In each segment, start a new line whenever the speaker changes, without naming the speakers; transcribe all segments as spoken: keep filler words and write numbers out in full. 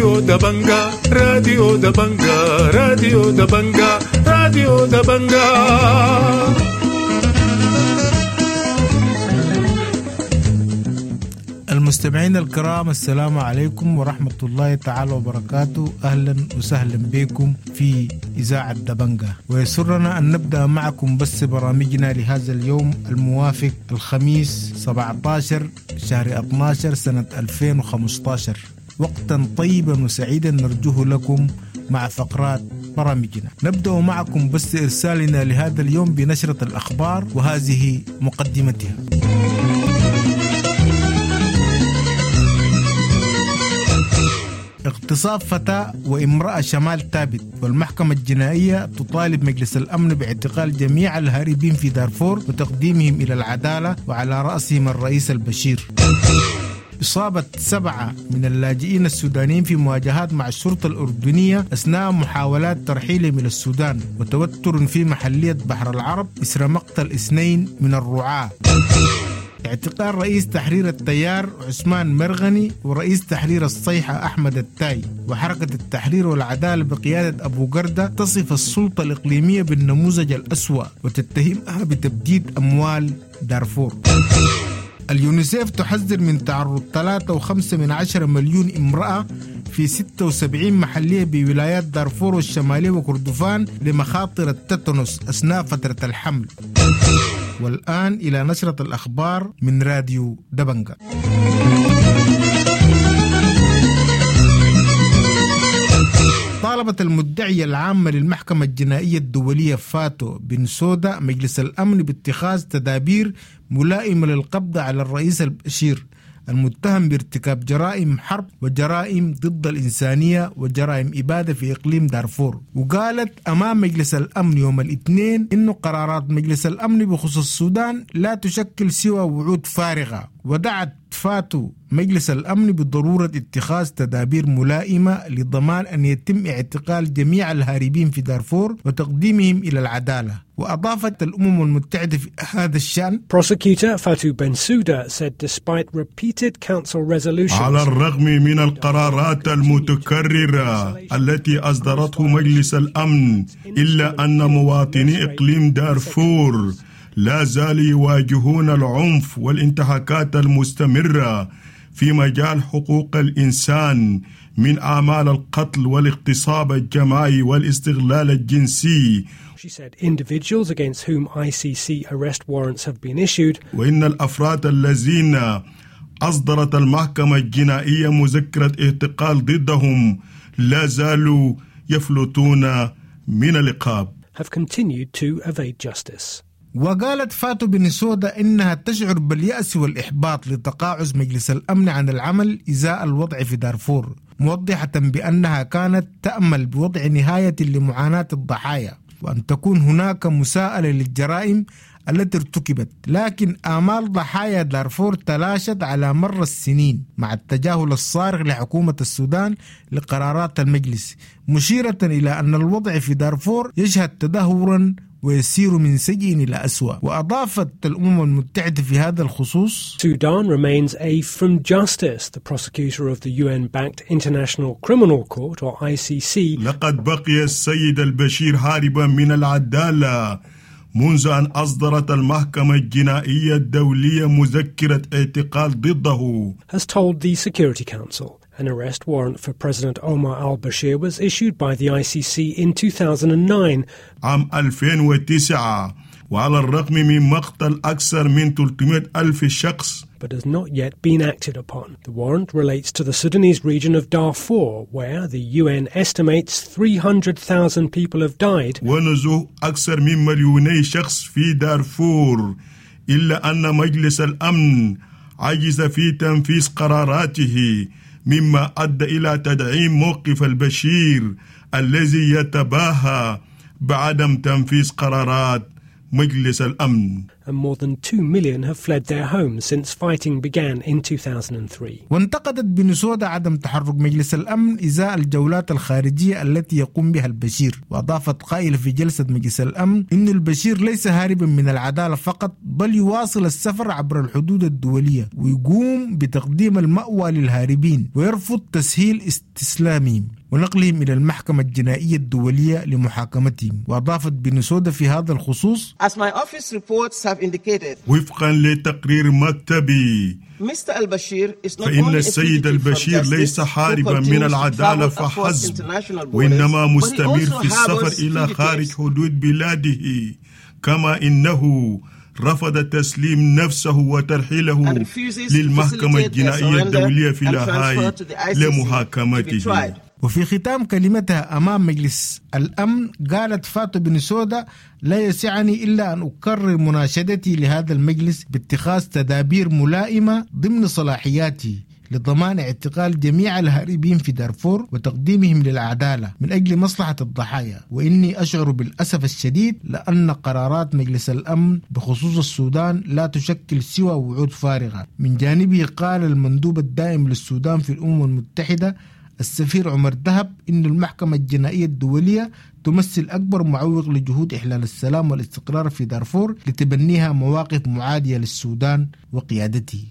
راديو دبنجا راديو دبنجا راديو دبنجا راديو دبنجا.
المستمعين الكرام، السلام عليكم ورحمة الله تعالى وبركاته. أهلا وسهلا بكم في إذاعة دبنجا، ويسرنا أن نبدأ معكم بس برامجنا لهذا اليوم الموافق الخميس سبعة عشر شهر اثني عشر سنة ألفين وخمسة عشر. وقتا طيبا وسعيدا نرجوه لكم مع فقرات برامجنا. نبدأ معكم بس إرسالنا لهذا اليوم بنشرة الأخبار، وهذه مقدمتها. اغتصاب فتاة وامرأة شمال تابت، والمحكمة الجنائية تطالب مجلس الأمن باعتقال جميع الهاربين في دارفور وتقديمهم إلى العدالة، وعلى رأسهم الرئيس البشير. إصابة سبعة من اللاجئين السودانيين في مواجهات مع الشرطة الأردنية أثناء محاولات ترحيلهم إلى السودان، وتوتر في محلية بحر العرب إثر مقتل اثنين من الرعاة. اعتقال رئيس تحرير التيار عثمان مرغني ورئيس تحرير الصيحة أحمد التاي، وحركة التحرير والعدالة بقيادة أبو قردة تصف السلطة الإقليمية بالنموذج الأسوأ وتتهمها بتبديد أموال دارفور. اليونيسيف تحذر من تعرض ثلاثة وخمسة من عشرة مليون امرأة في ستة وسبعين محلية بولايات دارفور والشمالية وكردفان لمخاطر التتنس أثناء فترة الحمل. والآن إلى نشرة الأخبار من راديو دبنجا. طالبت المدعية العامة للمحكمة الجنائية الدولية فاتو بنسودا مجلس الأمن باتخاذ تدابير ملائمة للقبض على الرئيس البشير المتهم بارتكاب جرائم حرب وجرائم ضد الإنسانية وجرائم إبادة في إقليم دارفور. وقالت أمام مجلس الأمن يوم الاثنين إنه قرارات مجلس الأمن بخصوص السودان لا تشكل سوى وعود فارغة، ودعت فاتو مجلس الأمن بضرورة اتخاذ تدابير ملائمة لضمان أن يتم اعتقال جميع الهاربين في دارفور وتقديمهم إلى العدالة. وأضافت الأمم المتحدة في هذا الشأن:
Prosecutor Fatou Bensouda said despite repeated council resolutions
على الرغم من القرارات المتكررة التي أصدرته مجلس الأمن، إلا أن مواطني إقليم دارفور لا زالوا يواجهون العنف والانتهاكات المستمرة في مجال حقوق الإنسان من أعمال القتل والاغتصاب الجماعي والاستغلال الجنسي.
She said individuals against whom I C C arrest warrants have been issued.
وإن الأفراد الذين أصدرت المحكمة الجنائية مذكرة اعتقال ضدهم لا زالوا يفلتون من العقاب.
have continued to evade justice.
وقالت فاتو بنسودا إنها تشعر باليأس والإحباط لتقاعس مجلس الأمن عن العمل إزاء الوضع في دارفور، موضحة بأنها كانت تأمل بوضع نهاية لمعاناة الضحايا وأن تكون هناك مساءلة للجرائم التي ارتكبت، لكن آمال ضحايا دارفور تلاشت على مر السنين مع التجاهل الصارخ لحكومة السودان لقرارات المجلس، مشيرة إلى أن الوضع في دارفور يشهد تدهورا ويسير من سيء إلى أسوأ. وأضافت الأمم المتحدة في هذا الخصوص:
Sudan remains a from justice, the prosecutor of the U N-backed International Criminal Court, or I C C.
لقد بقي السيد البشير هاربا من العدالة منذ أن أصدرت المحكمة الجنائية الدولية مذكرة اعتقال ضده.
Has told the Security Council. An arrest warrant for President Omar al-Bashir was issued by the I C C in two thousand and nine.
عام ألفين وتسعة، وعلى الرغم من مقتل أكثر من ثلاثمائة ألف شخص
but has not yet been acted upon. The warrant relates to the Sudanese region of Darfur, where the U N estimates three hundred thousand people have died.
ونزوح أكثر من مليوني شخص في دارفور، إلا أن مجلس الأمن عجز في تنفيذ قراراته، مما أدى إلى تدعيم موقف البشير الذي يتباهى بعدم تنفيذ قرارات مجلس الأمن.
And more than two million have fled their homes since fighting began in two thousand three.
وانتقدت بنسودا عدم تحرك مجلس الأمن إزاء الجولات الخارجية التي يقوم بها البشير، وأضافت قائلة في جلسة مجلس الأمن إن البشير ليس هاربا من العدالة فقط، بل يواصل السفر عبر الحدود الدولية ويقوم بتقديم المأوى للهاربين ويرفض تسهيل استسلامهم ونقلهم إلى المحكمة الجنائية الدولية لمحاكمتهم. وأضافت بنسودا في هذا الخصوص:
As my office reports have indicated,
وفقا لتقرير مكتبي
Mister Al-Bashir is not
فإن
only a
السيد
fugitive from
البشير
justice
ليس
who
هاربا من
continues to
العدالة
travel across
فحسب،
international borders,
وإنما
but he
مستمر
also
في السفر
harbors
إلى خارج
fugitives.
حدود بلاده، كما إنه رفض تسليم نفسه وترحيله
And refuses to
للمحكمة
facilitate their
الجنائية
surrender
الدولية في
and
لاهاي
transfer to the I C C to be
لمحاكمته.
tried.
وفي ختام كلمتها أمام مجلس الأمن قالت فاتو بنسودا: لا يسعني إلا أن أكرر مناشدتي لهذا المجلس باتخاذ تدابير ملائمة ضمن صلاحياتي لضمان اعتقال جميع الهاربين في دارفور وتقديمهم للعدالة من أجل مصلحة الضحايا، وإني أشعر بالأسف الشديد لأن قرارات مجلس الأمن بخصوص السودان لا تشكل سوى وعود فارغة. من جانبه قال المندوب الدائم للسودان في الأمم المتحدة السفير عمر دهب إن المحكمة الجنائية الدولية تمثل أكبر معوق لجهود إحلال السلام والاستقرار في دارفور لتبنيها مواقف معادية للسودان وقيادته.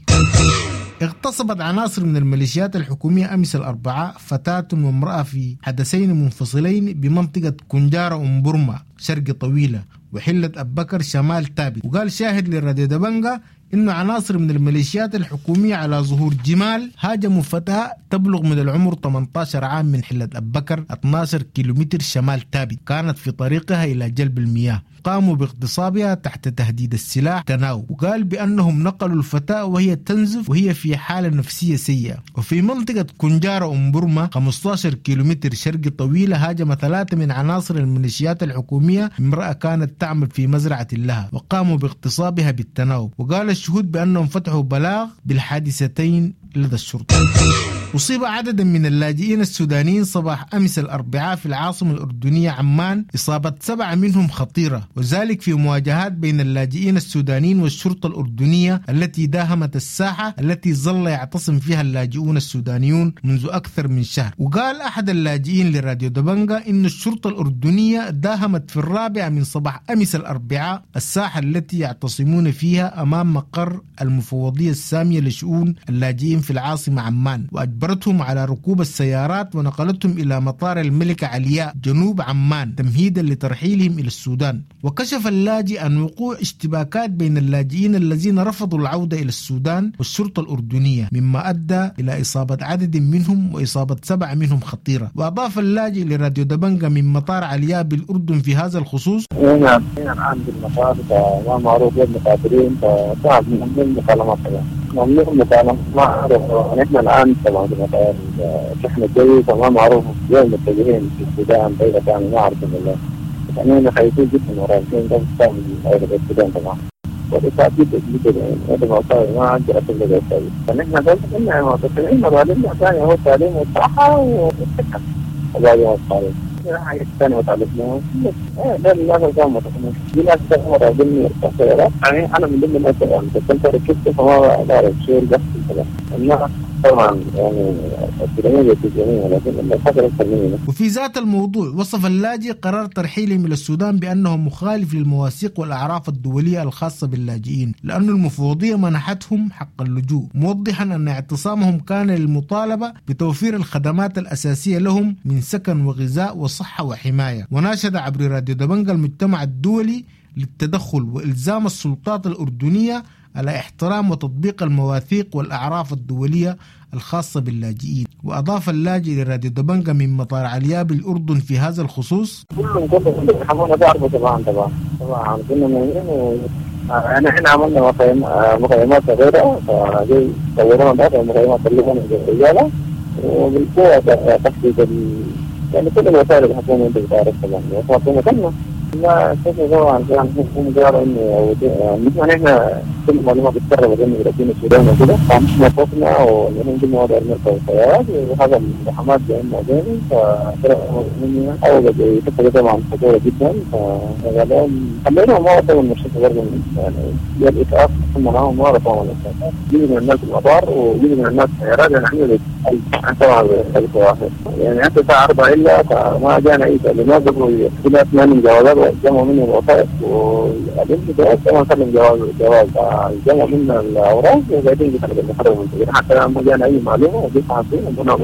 اغتصبت عناصر من الميليشيات الحكومية أمس الأربعاء فتاة وامرأة في حدثين منفصلين بمنطقة كنجارة أم برما شرق طويلة وحلة أبكر شمال تابت. وقال شاهد للراديو دبنجا إنه عناصر من الميليشيات الحكومية على ظهور جمال هاجموا فتاة تبلغ من العمر ثمانية عشر عام من حلة أبكر اثني عشر كيلومتر شمال تابت، كانت في طريقها إلى جلب المياه، قاموا باغتصابها تحت تهديد السلاح تناوب. وقال بأنهم نقلوا الفتاة وهي تنزف وهي في حالة نفسية سيئة. وفي منطقة كنجارة أم برما خمسة عشر كيلومتر شرق طويلة هاجم ثلاثة من عناصر الميليشيات الحكومية امرأة كانت تعمل في مزرعة لها وقاموا باغتصابها بالتناوب. وقال الشهود بأنهم فتحوا بلاغ بالحادثتين لدى الشرطة. أصيب عدد من اللاجئين السودانيين صباح أمس الأربعاء في العاصمة الأردنية عمان إصابة سبعة منهم خطيرة، وذلك في مواجهات بين اللاجئين السودانيين والشرطة الأردنية التي داهمت الساحة التي ظل يعتصم فيها اللاجئون السودانيون منذ أكثر من شهر. وقال أحد اللاجئين لراديو دبنجا إن الشرطة الأردنية داهمت في الرابعة من صباح أمس الأربعاء الساحة التي يعتصمون فيها أمام مقر المفوضية السامية لشؤون اللاجئين في العاصمة عمان، وأجبرتهم على ركوب السيارات ونقلتهم إلى مطار الملكة علياء جنوب عمان تمهيدا لترحيلهم إلى السودان. وكشف اللاجئ عن وقوع اشتباكات بين اللاجئين الذين رفضوا العودة إلى السودان والشرطة الأردنية، مما أدى إلى إصابة عدد منهم وإصابة سبعة منهم خطيرة. وأضاف اللاجئ لراديو دبنجا من مطار علياء بالأردن في هذا الخصوص:
هنا الآن بالمطار ما معروف وين مسافرين، فصعب من المكالمات طبعا، ممنوع المكالمات، ما أعرف. نحن الآن طبعا بالمطار الشحن الجوي فما معروف وين متجهين في السودان، بأي مكان ما أعرف والله. يعني خايفين جدا ورايحين طبعا من السودان طبعا، وإصابة جدا جدا يعني هذا ما ما عندي أصل للإصابة. فنحن بس قلنا معتصمين مظالمنا ثانية هو التعليم والصحة والسكن وبعدين الطريق. حاجة ثانية وتعلمناها ده اللي كان متخمم دي ناس راجلني السيارات، يعني أنا من ضمن الناس يعني كنت ركبت فما بعرف شو اللي بيحصل طبعا. طبعا يعني السودانيين بيتجننوا لكن الفترة أكثر مني.
وفي ذات الموضوع وصف اللاجئ قرار ترحيلهم إلى السودان بأنه مخالف للمواثيق والأعراف الدولية الخاصة باللاجئين، لأن المفوضية منحتهم حق اللجوء، موضحا أن اعتصامهم كان للمطالبة بتوفير الخدمات الأساسية لهم من سكن وغذاء وصحة وحماية. وناشد عبر راديو دبنجا المجتمع الدولي للتدخل وإلزام السلطات الأردنية على احترام وتطبيق المواثيق والأعراف الدولية الخاصة باللاجئين. وأضاف اللاجئ لراديو دبنجا من مطار علياء بالأردن في هذا الخصوص:
كلهم كلهم كلهم بعرفوا طبعا طبعا طبعا كنا مهمين و يعني احنا عملنا مخيم مخيمات صغيرة، فجي طورونا بعض المخيمات اللي الرجالة وبالقوة تحديد ال... يعني كل الوسائل الحكومية انت بتعرف طبعا الحكومة كلنا لا طبعا كان هم قالوا انه يعني نحن كل معلومه بتسرب انه راكبين السودان وكده، فنحن خوفنا ونحن قلنا وضع نركب الطيارات وهذا الزحمات بيننا وبينهم، فطلعوا مني اول فتره طبعا خطوره جدا، فقالوا خلينا ما وصلوا المستشفى برضه يعني الاسعاف ثم معاهم ما رفعوا الاسعاف، جزء من الناس المطار وجزء من الناس الطيارات. يعني احنا طبعا يعني حتى الساعه أربعة الا فما جانا اي تعليمات قبل كده، ما جوازات وجمعوا مني الوثائق والجواز طبعا سلم جواز جواز جمعوا منا الاوراق وبعدين جينا بالمحرم حتى ما جانا اي معلومه وجيت صحفيين وقلنا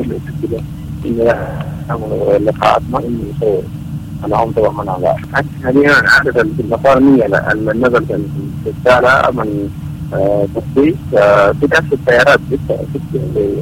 كده انه اللقاءات ما انه يصور انا طبعا ما حاليا عدد في المطار مية النزل في السالة من تفتيش في نفس السيارات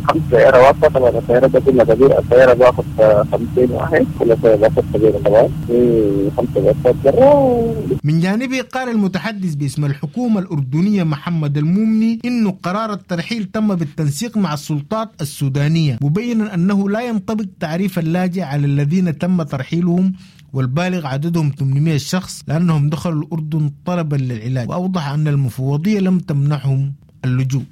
خمس سيارة واقفة طبعا السيارات ده كلها كبيرة، السيارة باخذ خمسين واحد كل سيارة باخذ كبيرة طبعا في خمسة باخذ برا.
من جانبه قال المتحدث باسم الحكومة الأردنية محمد المومني إنه قرار الترحيل تم بالتنسيق مع السلطات السودانية، مبينا أنه لا ينطبق تعريف اللاجئ على الذين تم ترحيلهم والبالغ عددهم ثمانمائة شخص لأنهم دخلوا الأردن طلبا للعلاج، وأوضح أن المفوضية لم تمنحهم اللجوء.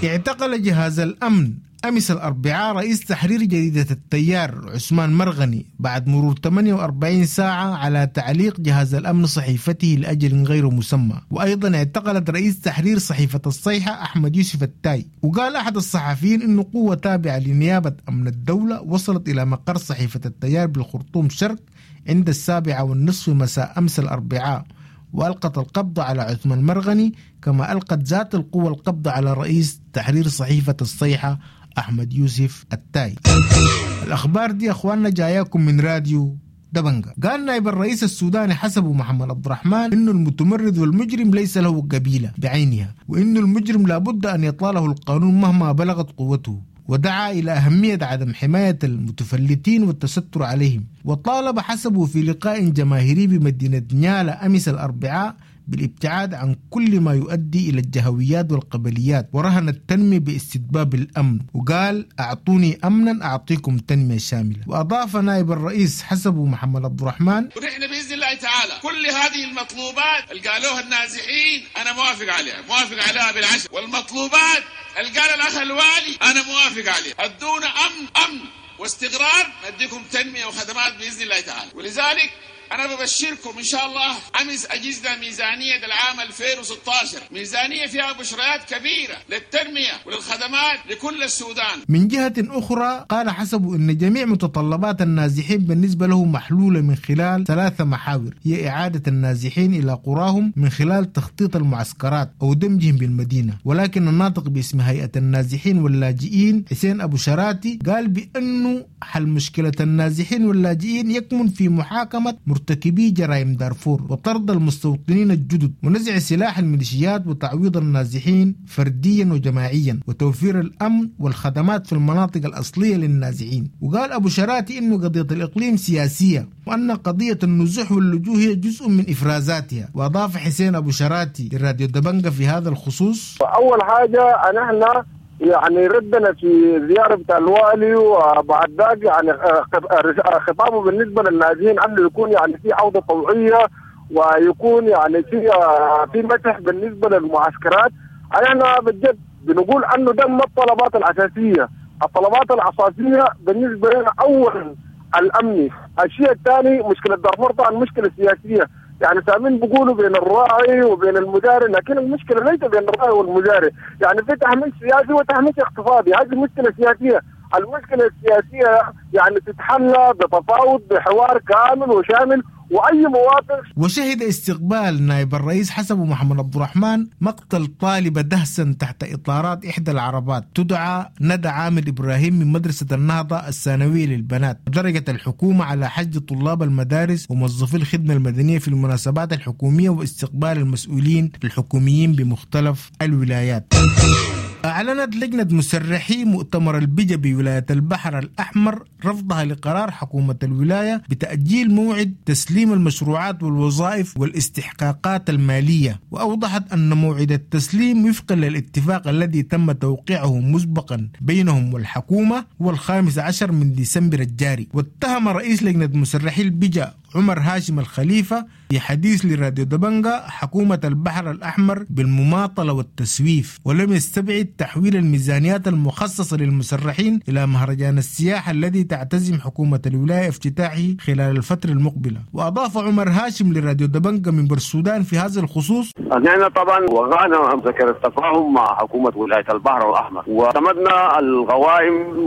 اعتقل جهاز الأمن أمس الأربعاء رئيس تحرير جريدة التيار عثمان مرغني بعد مرور ثمانية وأربعين ساعة على تعليق جهاز الأمن صحيفته لأجل غير مسمى. وأيضا اعتقلت رئيس تحرير صحيفة الصيحة أحمد يوسف التاي. وقال أحد الصحفيين إنه قوة تابعة لنيابة أمن الدولة وصلت إلى مقر صحيفة التيار بالخرطوم شرق عند السابعة والنصف مساء أمس الأربعاء، وألقت القبض على عثمان مرغني، كما ألقت ذات القوة القبض على رئيس تحرير صحيفة الصيحة أحمد يوسف التاي. الأخبار دي أخواننا جاياكم من راديو دبنجا. قال نائب الرئيس السوداني حسبه محمد عبد الرحمن إنه المتمرد والمجرم ليس له قبيلة بعينها، وإنه المجرم لابد أن يطاله القانون مهما بلغت قوته، ودعا إلى أهمية عدم حماية المتفلتين والتستر عليهم. وطالب حسبه في لقاء جماهيري بمدينة نيالا أمس الأربعاء بالابتعاد عن كل ما يؤدي إلى الجهويات والقبليات، ورهن التنمية باستتباب الأمن، وقال أعطوني أمنا أعطيكم تنمية شاملة. وأضاف نائب الرئيس حسبه محمد عبد الرحمن:
ونحن بإذن الله تعالى كل هذه المطلوبات اللي قالوها النازحين أنا موافق عليها، موافق عليها بالعشر، والمطلوبات اللي قال الأخ الوالي أنا موافق عليها. أدونا أمن أمن واستقرار نديكم تنمية وخدمات بإذن الله تعالى. ولذلك أنا ببشركم إن شاء الله أمس أجزنا ميزانية العام ألفين وستة عشر، ميزانية فيها بشريات كبيرة للتنمية وللخدمات لكل السودان.
من جهة أخرى قال حسبه أن جميع متطلبات النازحين بالنسبة له محلولة من خلال ثلاثة محاور، هي إعادة النازحين إلى قراهم من خلال تخطيط المعسكرات أو دمجهم بالمدينة. ولكن الناطق باسم هيئة النازحين واللاجئين حسين أبو شراتي قال بأنه حل مشكلة النازحين واللاجئين يكمن في محاكمة مرتكبي جرائم دارفور وطرد المستوطنين الجدد ونزع سلاح الميليشيات وتعويض النازحين فرديا وجماعيا وتوفير الأمن والخدمات في المناطق الأصلية للنازحين. وقال أبو شراتي إنه قضية الإقليم سياسية وأن قضية النزوح واللجوء هي جزء من إفرازاتها. وأضاف حسين أبو شراتي لراديو دبنجة في هذا الخصوص:
أول حاجة نحن يعني ردنا في زيارة بتاع الوالي، وبعد ذاك يعني خطابه بالنسبة للنازحين أنه يكون يعني في عودة طوعية ويكون يعني في في مسح بالنسبة للمعسكرات. احنا بجد بنقول أنه ده ما الطلبات الأساسية. الطلبات الأساسية بالنسبة لنا أولا الأمني، الشيء الثاني مشكلة دارفور طبعا مشكلة سياسية، يعني سامين بيقولوا بين الراعي وبين المزارع، لكن المشكلة ليس بين الراعي والمزارع، يعني في تهميش سياسي وتهميش اقتصادي، هذه مشكلة سياسية. المشكلة السياسية يعني تتحلى بتفاوض بحوار كامل وشامل وأي مواطن.
وشهد استقبال نائب الرئيس حسبه محمد عبد الرحمن مقتل طالبة دهسا تحت إطارات إحدى العربات تدعى ندى عامر إبراهيم من مدرسة النهضة الثانوية للبنات. درجت الحكومة على حج طلاب المدارس وموظفي الخدمة المدنية في المناسبات الحكومية واستقبال المسؤولين الحكوميين بمختلف الولايات. أعلنت لجنة مسرحي مؤتمر البجا بولاية البحر الأحمر رفضها لقرار حكومة الولاية بتأجيل موعد تسليم المشروعات والوظائف والاستحقاقات المالية. وأوضحت أن موعد التسليم وفقا للاتفاق الذي تم توقيعه مسبقا بينهم والحكومة هو الخامس عشر من ديسمبر الجاري. واتهم رئيس لجنة مسرحي البجا عمر هاشم الخليفة في حديث لراديو دبنجا حكومة البحر الأحمر بالمماطلة والتسويف، ولم يستبعد تحويل الميزانيات المخصصة للمسرحين إلى مهرجان السياحة الذي تعتزم حكومة الولاية افتتاحه خلال الفترة المقبلة. وأضاف عمر هاشم لراديو دبنجا من بورسودان في هذا الخصوص:
نحن طبعا وقعنا مذكرة التفاهم مع حكومة ولاية البحر الأحمر، واعتمدنا القوائم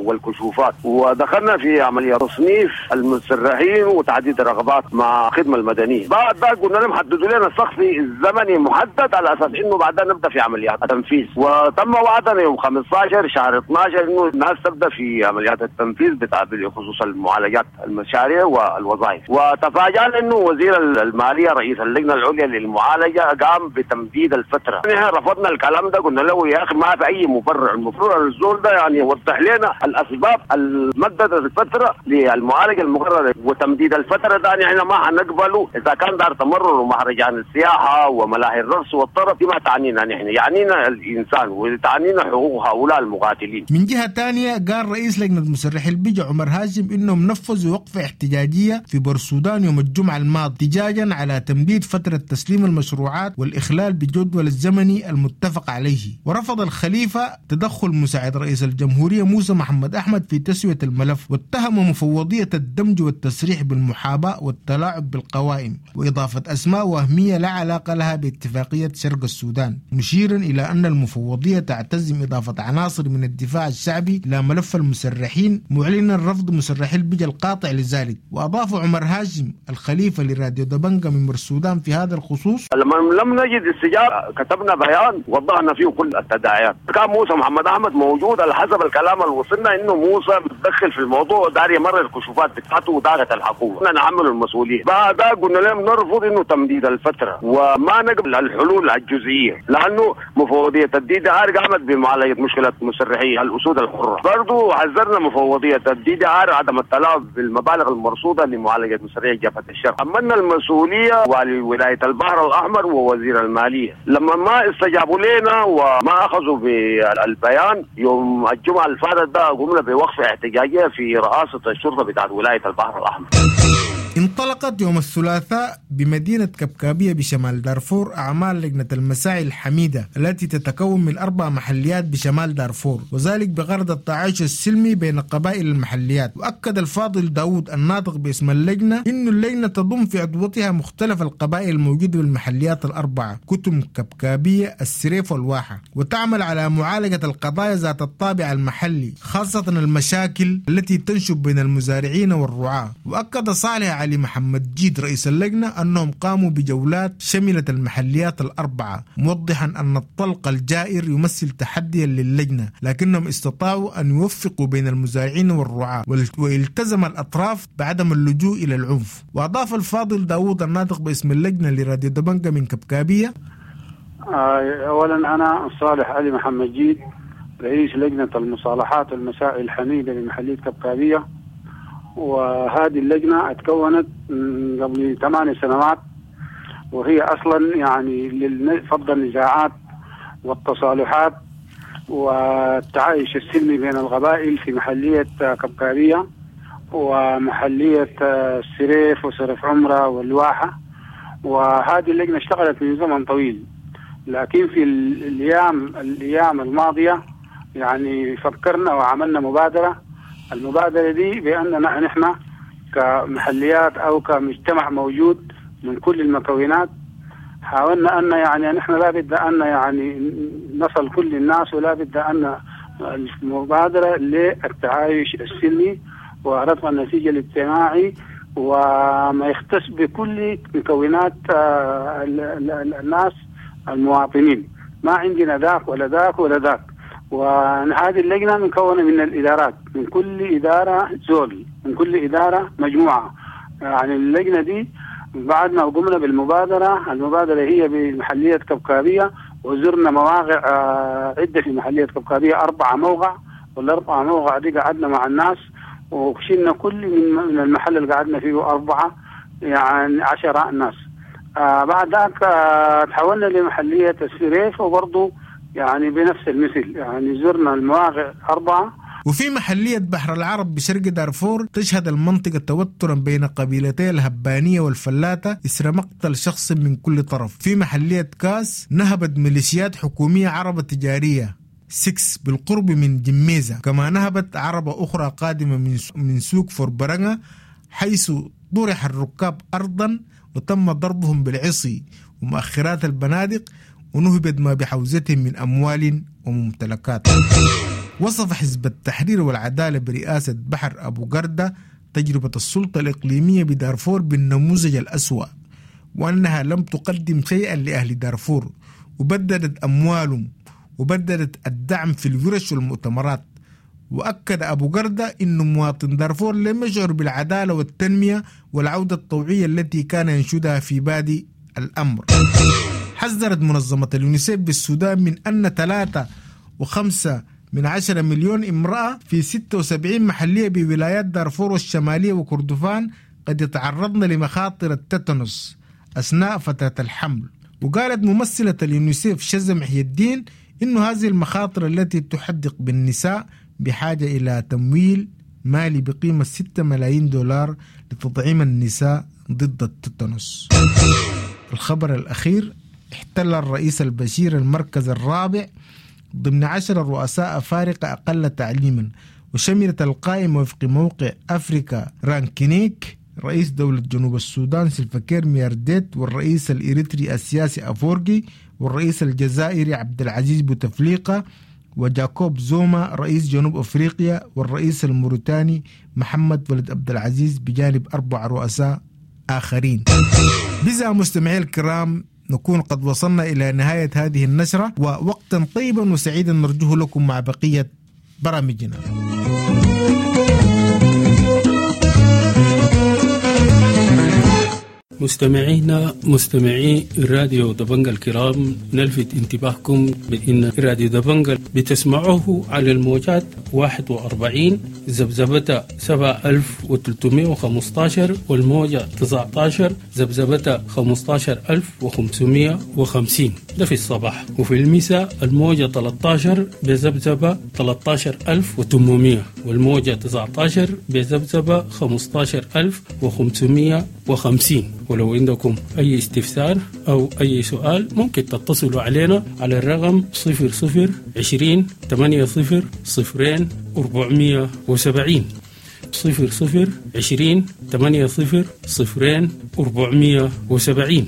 والكشوفات، ودخلنا في عملية تصنيف المسرحين وتعديد الرغبات مع الخدمة المدنية. بعد ذلك قلنا لهم حددوا لنا السقف الزمني محدد على أساس إنه بعدها نبدأ في عمليات التنفيذ، وتم وعدنا يوم خمسة عشر شهر اثنا عشر إنه الناس تبدأ في عمليات التنفيذ بتاع بخصوص المعالجات المشاريع والوظائف. وتفاجأنا إنه وزير المالية رئيس اللجنة العليا للمعالجة قام بتمديد الفترة. نحن رفضنا الكلام ده، قلنا له يا أخي ما في أي مبرر، المفروض الزول ده يعني يوضح لنا الأسباب المددت الفترة للمعالجة المقررة، وتمديد الفترة ده نحن ما حنقبله إذا كان دار تمرر ومهرجان السياحة وملاهي الرقص والطرب، دي ما تعنينا نحن، يعنينا الإنسان وتعنينا حقوق هؤلاء المقاتلين.
من جهة ثانية قال رئيس لجنة مسرحي البجا عمر هاشم إنهم نفذوا وقفة احتجاجية في بورسودان يوم الجمعة الماضي احتجاجا على تمديد فترة تسليم المشروعات والإخلال بالجدول الزمني المتفق عليه. ورفض الخليفة تدخل مساعد رئيس الجمهورية موسى محمد أحمد في تسوية الملف، واتهم مفوضية الدمج والتسريح بالمحاباة والتلاعب بالقوائم وإضافة أسماء وهمية لا علاقة لها باتفاقية شرق السودان، مشيرا إلى أن المفوضية تعتزم إضافة عناصر من الدفاع الشعبي إلى ملف المسرحين، معلنا رفض مسرحي البجا القاطع لذلك. وأضاف عمر هاشم الخليفة لراديو دبنجا من السودان في هذا الخصوص:
لما لم نجد استجابة كتبنا بيان وضحنا فيه كل التداعيات. كان موسى محمد أحمد موجود، على حسب الكلام اللي وصلنا إنه موسى متدخل في الموضوع دار يمرر الكشوفات بتاعته ودارت الحكومة نعمل المسؤولية. بعد قلنا لهم نرفض إنه تمديد الفترة وما نقبل الحلول الجزئية، لأنه مفوضية ال DDR قامت بمعالجة مشكلة مسرحي الأسود الحرة. برضو حذرنا مفوضية ال DDR عدم التلاعب بالمبالغ المرصودة لمعالجة مسرحي جبهة الشرق. أمنا المسؤولية ولولاية البحر الأحمر ووزير المالية. لما ما استجابوا لنا وما أخذوا بالبيان يوم الجمعة الفاتت ده قمنا بوقفة احتجاجية في رئاسة الشرطة بتاعت ولاية البحر الأحمر.
انطلقت يوم الثلاثاء بمدينة كبكابية بشمال دارفور أعمال لجنة المساعي الحميدة التي تتكون من أربع محليات بشمال دارفور، وذلك بغرض التعايش السلمي بين قبائل المحليات. وأكد الفاضل داود الناطق باسم اللجنة إن اللجنة تضم في عضوتها مختلف القبائل الموجودة بالمحليات الأربعة، كتم، كبكابية، السريف والواحة، وتعمل على معالجة القضايا ذات الطابع المحلي، خاصة المشاكل التي تنشب بين المزارعين والرعاة. وأكد صالح علي محمد جيد رئيس اللجنة أنهم قاموا بجولات شملت المحليات الأربعة، موضحا أن الطلق الجائر يمثل تحديا للجنة، لكنهم استطاعوا أن يوفقوا بين المزارعين والرعاة والتزم الأطراف بعدم اللجوء إلى العنف. وأضاف الفاضل داوود الناطق باسم اللجنة لراديو دبنجا من كبكابية:
أولا أنا صالح علي محمد جيد رئيس لجنة المصالحات والمسائل الحميدة لمحلية كبكابية، وهذه اللجنة اتكونت قبل ثمان سنوات، وهي أصلا يعني لفض النزاعات والتصالحات والتعايش السلمي بين القبائل في محلية كبكابية ومحلية السريف وسرف عمرة والواحة. وهذه اللجنة اشتغلت من زمن طويل، لكن في الأيام الأيام الماضية يعني فكرنا وعملنا مبادرة. المبادرة دي بأننا نحن كمحليات أو كمجتمع موجود من كل المكونات حاولنا أن يعني نحن لا بد أن يعني نصل كل الناس، ولا بد أن المبادرة للتعايش السلمي ورفع النسيج الاجتماعي وما يختص بكل مكونات الناس المواطنين، ما عندنا ذاك ولا ذاك ولا ذاك. وهذه اللجنة مكونة من الإدارات، من كل إدارة زول، من كل إدارة مجموعة. يعني اللجنة دي بعد ما قمنا بالمبادرة، المبادرة هي بمحلية كبكابية، وزرنا مواقع عدة في محلية كبكابية، أربعة موقع، والأربعة موقع دي قعدنا مع الناس وشلنا كل من المحل اللي قعدنا فيه أربعة يعني عشرة ناس. آه بعد ذاك آه تحولنا لمحلية السريف، وبرضه يعني بنفس المثل، يعني زرنا المواقع أربعة
وفي محلية بحر العرب بشرق دارفور تشهد المنطقة توترا بين قبيلتي الهبانية والفلاتة إثر مقتل شخص من كل طرف. في محلية كاس نهبت ميليشيات حكومية عربة تجارية ستة بالقرب من جميزة، كما نهبت عربة أخرى قادمة من سوق فوربرنغا حيث طرح الركاب أرضا وتم ضربهم بالعصي ومؤخرات البنادق ونهبت ما بحوزتهم من أموال وممتلكات. وصف حزب التحرير والعدالة برئاسة بحر أبو قردة تجربة السلطة الإقليمية بدارفور بالنموذج الأسوأ، وأنها لم تقدم شيئا لأهل دارفور وبددت أموالهم وبددت الدعم في الورش والمؤتمرات. وأكد أبو قردة أن مواطن دارفور لم يشعر بالعدالة والتنمية والعودة الطوعية التي كان ينشدها في بادئ الأمر. حذرت منظمة اليونيسيف بالسودان من أن ثلاثة وخمسة من عشرة مليون امرأة في ستة وسبعين محلية بولايات دارفور والشمالية وكردفان قد يتعرضن لمخاطر التتنس أثناء فترة الحمل. وقالت ممثلة اليونيسيف شذى محي الدين إن هذه المخاطر التي تحدق بالنساء بحاجة إلى تمويل مالي بقيمة ستة ملايين دولار لتطعيم النساء ضد التتنس. الخبر الأخير، احتل الرئيس البشير المركز الرابع ضمن عشر رؤساء أفارقة أقل تعليما، وشملت القائمة وفق موقع أفريكا رانكينيك رئيس دولة جنوب السودان سلفاكير ميارديت، والرئيس الإريتري السياسي أفورجي، والرئيس الجزائري عبد العزيز بوتفليقة، وجاكوب زوما رئيس جنوب أفريقيا، والرئيس الموريتاني محمد ولد عبد العزيز، بجانب أربع رؤساء آخرين. بذا مستمعي الكرام نكون قد وصلنا إلى نهاية هذه النشرة، ووقتا طيبا وسعيدا نرجوه لكم مع بقية برامجنا.
مستمعينا مستمعي راديو دبنجا الكرام، نلفت انتباهكم بأن راديو دبنجا بتسمعوه على الموجات واحد وأربعين ذبذبة سبعة ألف وثلاثمائة وخمسة عشر والموجة تسعة عشر ذبذبة خمسة عشر ألف وخمسمائة وخمسين، ده في الصباح، وفي المساء الموجة ثلاثة عشر بذبذبة ثلاثة عشر ألف وثمانمائة والموجة تسعة عشر بذبذبة خمسة عشر ألف وخمسمائة وخمسين. ولو عندكم أي استفسار أو أي سؤال ممكن تتصلوا علينا على الرقم صفر صفر عشرين ثمانية صفر صفرين أربعمية وسبعين، صفر صفر عشرين ثمانية صفر صفرين أربعمية وسبعين.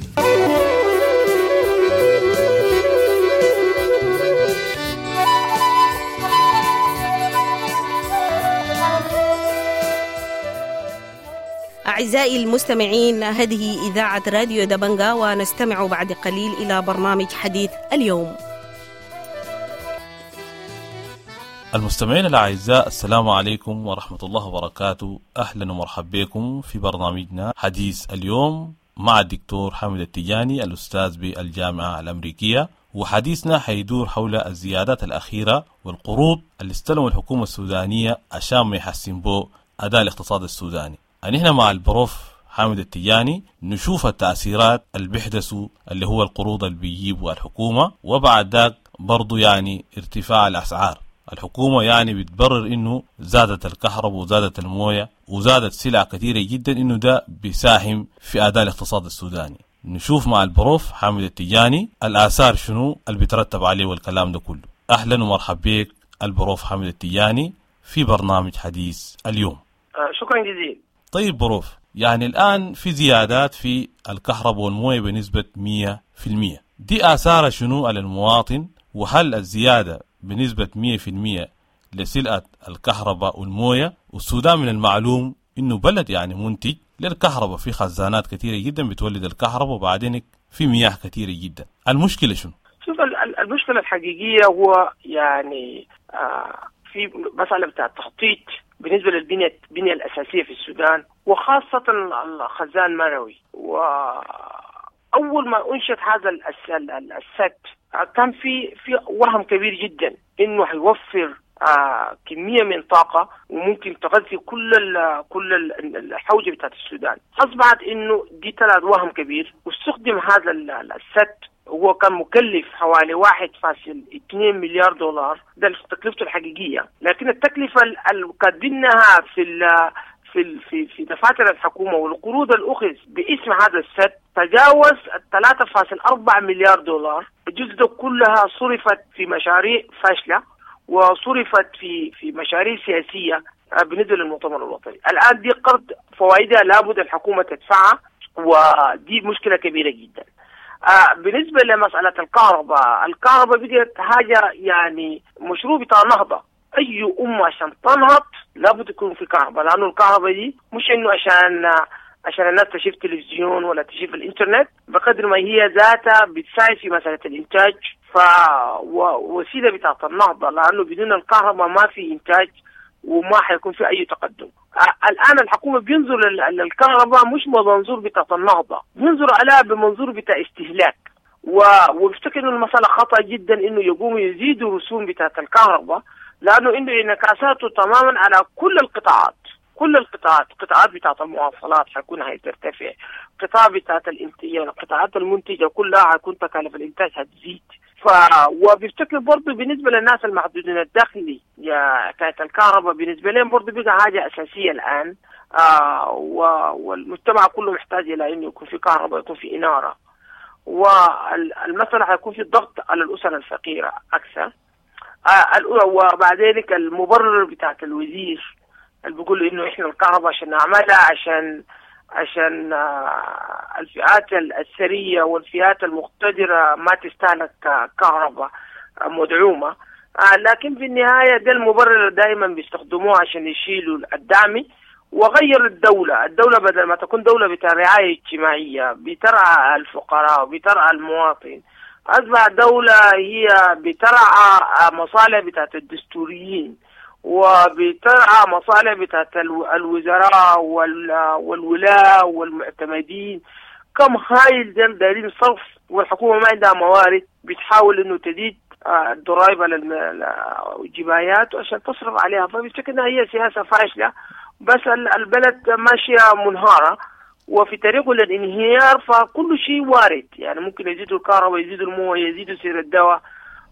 أعزائي المستمعين، هذه إذاعة راديو دبنجا، ونستمع بعد قليل إلى برنامج حديث اليوم.
المستمعين الأعزاء، السلام عليكم ورحمة الله وبركاته. أهلا ومرحبا بكم في برنامجنا حديث اليوم مع الدكتور حامد التجاني الأستاذ بالجامعة الأمريكية، وحديثنا حيدور حول الزيادات الأخيرة والقروض اللي استلموا الحكومة السودانية عشان ما يحسن بو أداء الاقتصاد السوداني. نحن مع البروف حامد التجاني نشوف التأثيرات اللي بيحدثوا اللي هو القروض اللي بيجيبوا الحكومة، وبعد ذاك برضو يعني ارتفاع الأسعار. الحكومة يعني بتبرر إنه زادت الكهرباء وزادت الموية وزادت سلع كثيرة جدا، إنه ده بيساهم في أداء الاقتصاد السوداني. نشوف مع البروف حامد التجاني الآثار شنو اللي بيترتب عليه والكلام ده كله. أهلا ومرحبا بك البروف حامد التجاني في برنامج حديث اليوم.
شكرا جزيلا.
طيب بروف، يعني الآن في زيادات في الكهرباء والموية بنسبة مية في المية، دي آثارها شنو على المواطن؟ وهل الزيادة بنسبة مية في المية لسلعة الكهرباء والموية؟ والسودان من المعلوم إنه بلد يعني منتج للكهرباء، في خزانات كثيرة جدا بتولد الكهرباء، وبعدين في مياه كثيرة جدا. المشكلة شنو؟
شوف، المشكلة الحقيقية هو يعني آه في مسألة بتاع التخطيط بالنسبة للبنية البنية الأساسية في السودان، وخاصة الخزان مروي. وأول ما أنشئت هذا السد كان في في وهم كبير جدا إنه هيوفر آه كمية من طاقة وممكن تغذي كل ال كل ال الحوجة بتاعت السودان. أصبحت إنه دي طلعت وهم كبير، واستخدم هذا السد هو كان مكلف حوالي واحد فاصل اثنين مليار دولار، ده تكلفته الحقيقية، لكن التكلفة اللي كاتبينها في في في في دفاتر الحكومة والقروض الأخذ باسم هذا السد تجاوز ثلاثة فاصل أربعة مليار دولار. الجزء ده كلها صرفت في مشاريع فاشلة وصرفت في في مشاريع سياسية بالنسبة للمؤتمر الوطني. الآن دي قرض فوائدها لابد الحكومة تدفعها، ودي مشكلة كبيرة جدا. آه بالنسبة لمسألة الكهرباء، الكهرباء بقت حاجة يعني مشروع بتاع نهضة. أي أمة عشان تنهض لابد يكون في كهرباء، لأنه الكهرباء دي مش إنه عشان عشان الناس تشوف تلفزيون ولا تشوف الإنترنت، بقدر ما هي ذاتها بتساعد في مسألة الإنتاج، فوسيلة بتاعت النهضة، لأنه بدون الكهرباء ما في إنتاج وما حيكون في أي تقدم. الآن الحكومة بينظر للكهرباء مش بمنظور بتاعت النهضة، بينظر عليها بمنظور بتاع استهلاك، وبفتكر إنه المسألة خطأ جدا إنه يقوموا يزيدوا رسوم بتاعت الكهرباء، لأنه إنه انعكاساته تماما على كل القطاعات، كل القطاعات، قطاعات بتاعت المواصلات حيكون هترتفع، قطاع بتاعت الانتاج، القطاعات المنتجة كلها حيكون تكاليف الإنتاج هتزيد. ف وبفتكر برضه بالنسبة للناس المحدودين الدخل يا كانت الكهرباء بالنسبة لهم برضه بقى حاجة أساسية الآن، آه و... والمجتمع كله محتاج إلى إنه يكون في كهرباء، يكون في إنارة، والمسألة حيكون في ضغط على الأسر الفقيرة أكثر. آه وبعد ذلك المبرر بتاعت الوزير اللي بيقول إنه إحنا الكهرباء عشان نعملها عشان عشان الفئات الثرية والفئات المقتدرة ما تستهلك كهرباء مدعومة، لكن في النهاية ده المبرر دائما بيستخدموه عشان يشيلوا الدعم. وغير الدولة، الدولة بدل ما تكون دولة بتاع رعاية اجتماعية بترعى الفقراء وبترعى المواطن، أصبح دولة هي بترعى مصالح بتاعت الدستوريين وبترعى مصالح بتاعت الوزراء والولاة والمعتمدين. كم هايل ديل دايرين صرف، والحكومة ما عندها موارد، بتحاول انه تزيد الضرائب على الجبايات عشان تصرف عليها. فبفتكر انها هي سياسة فاشلة، بس البلد ماشية منهارة وفي طريقه للانهيار، فكل شيء وارد، يعني ممكن يزيدوا الكهرباء، يزيدوا المويه، يزيدوا سعر الدواء،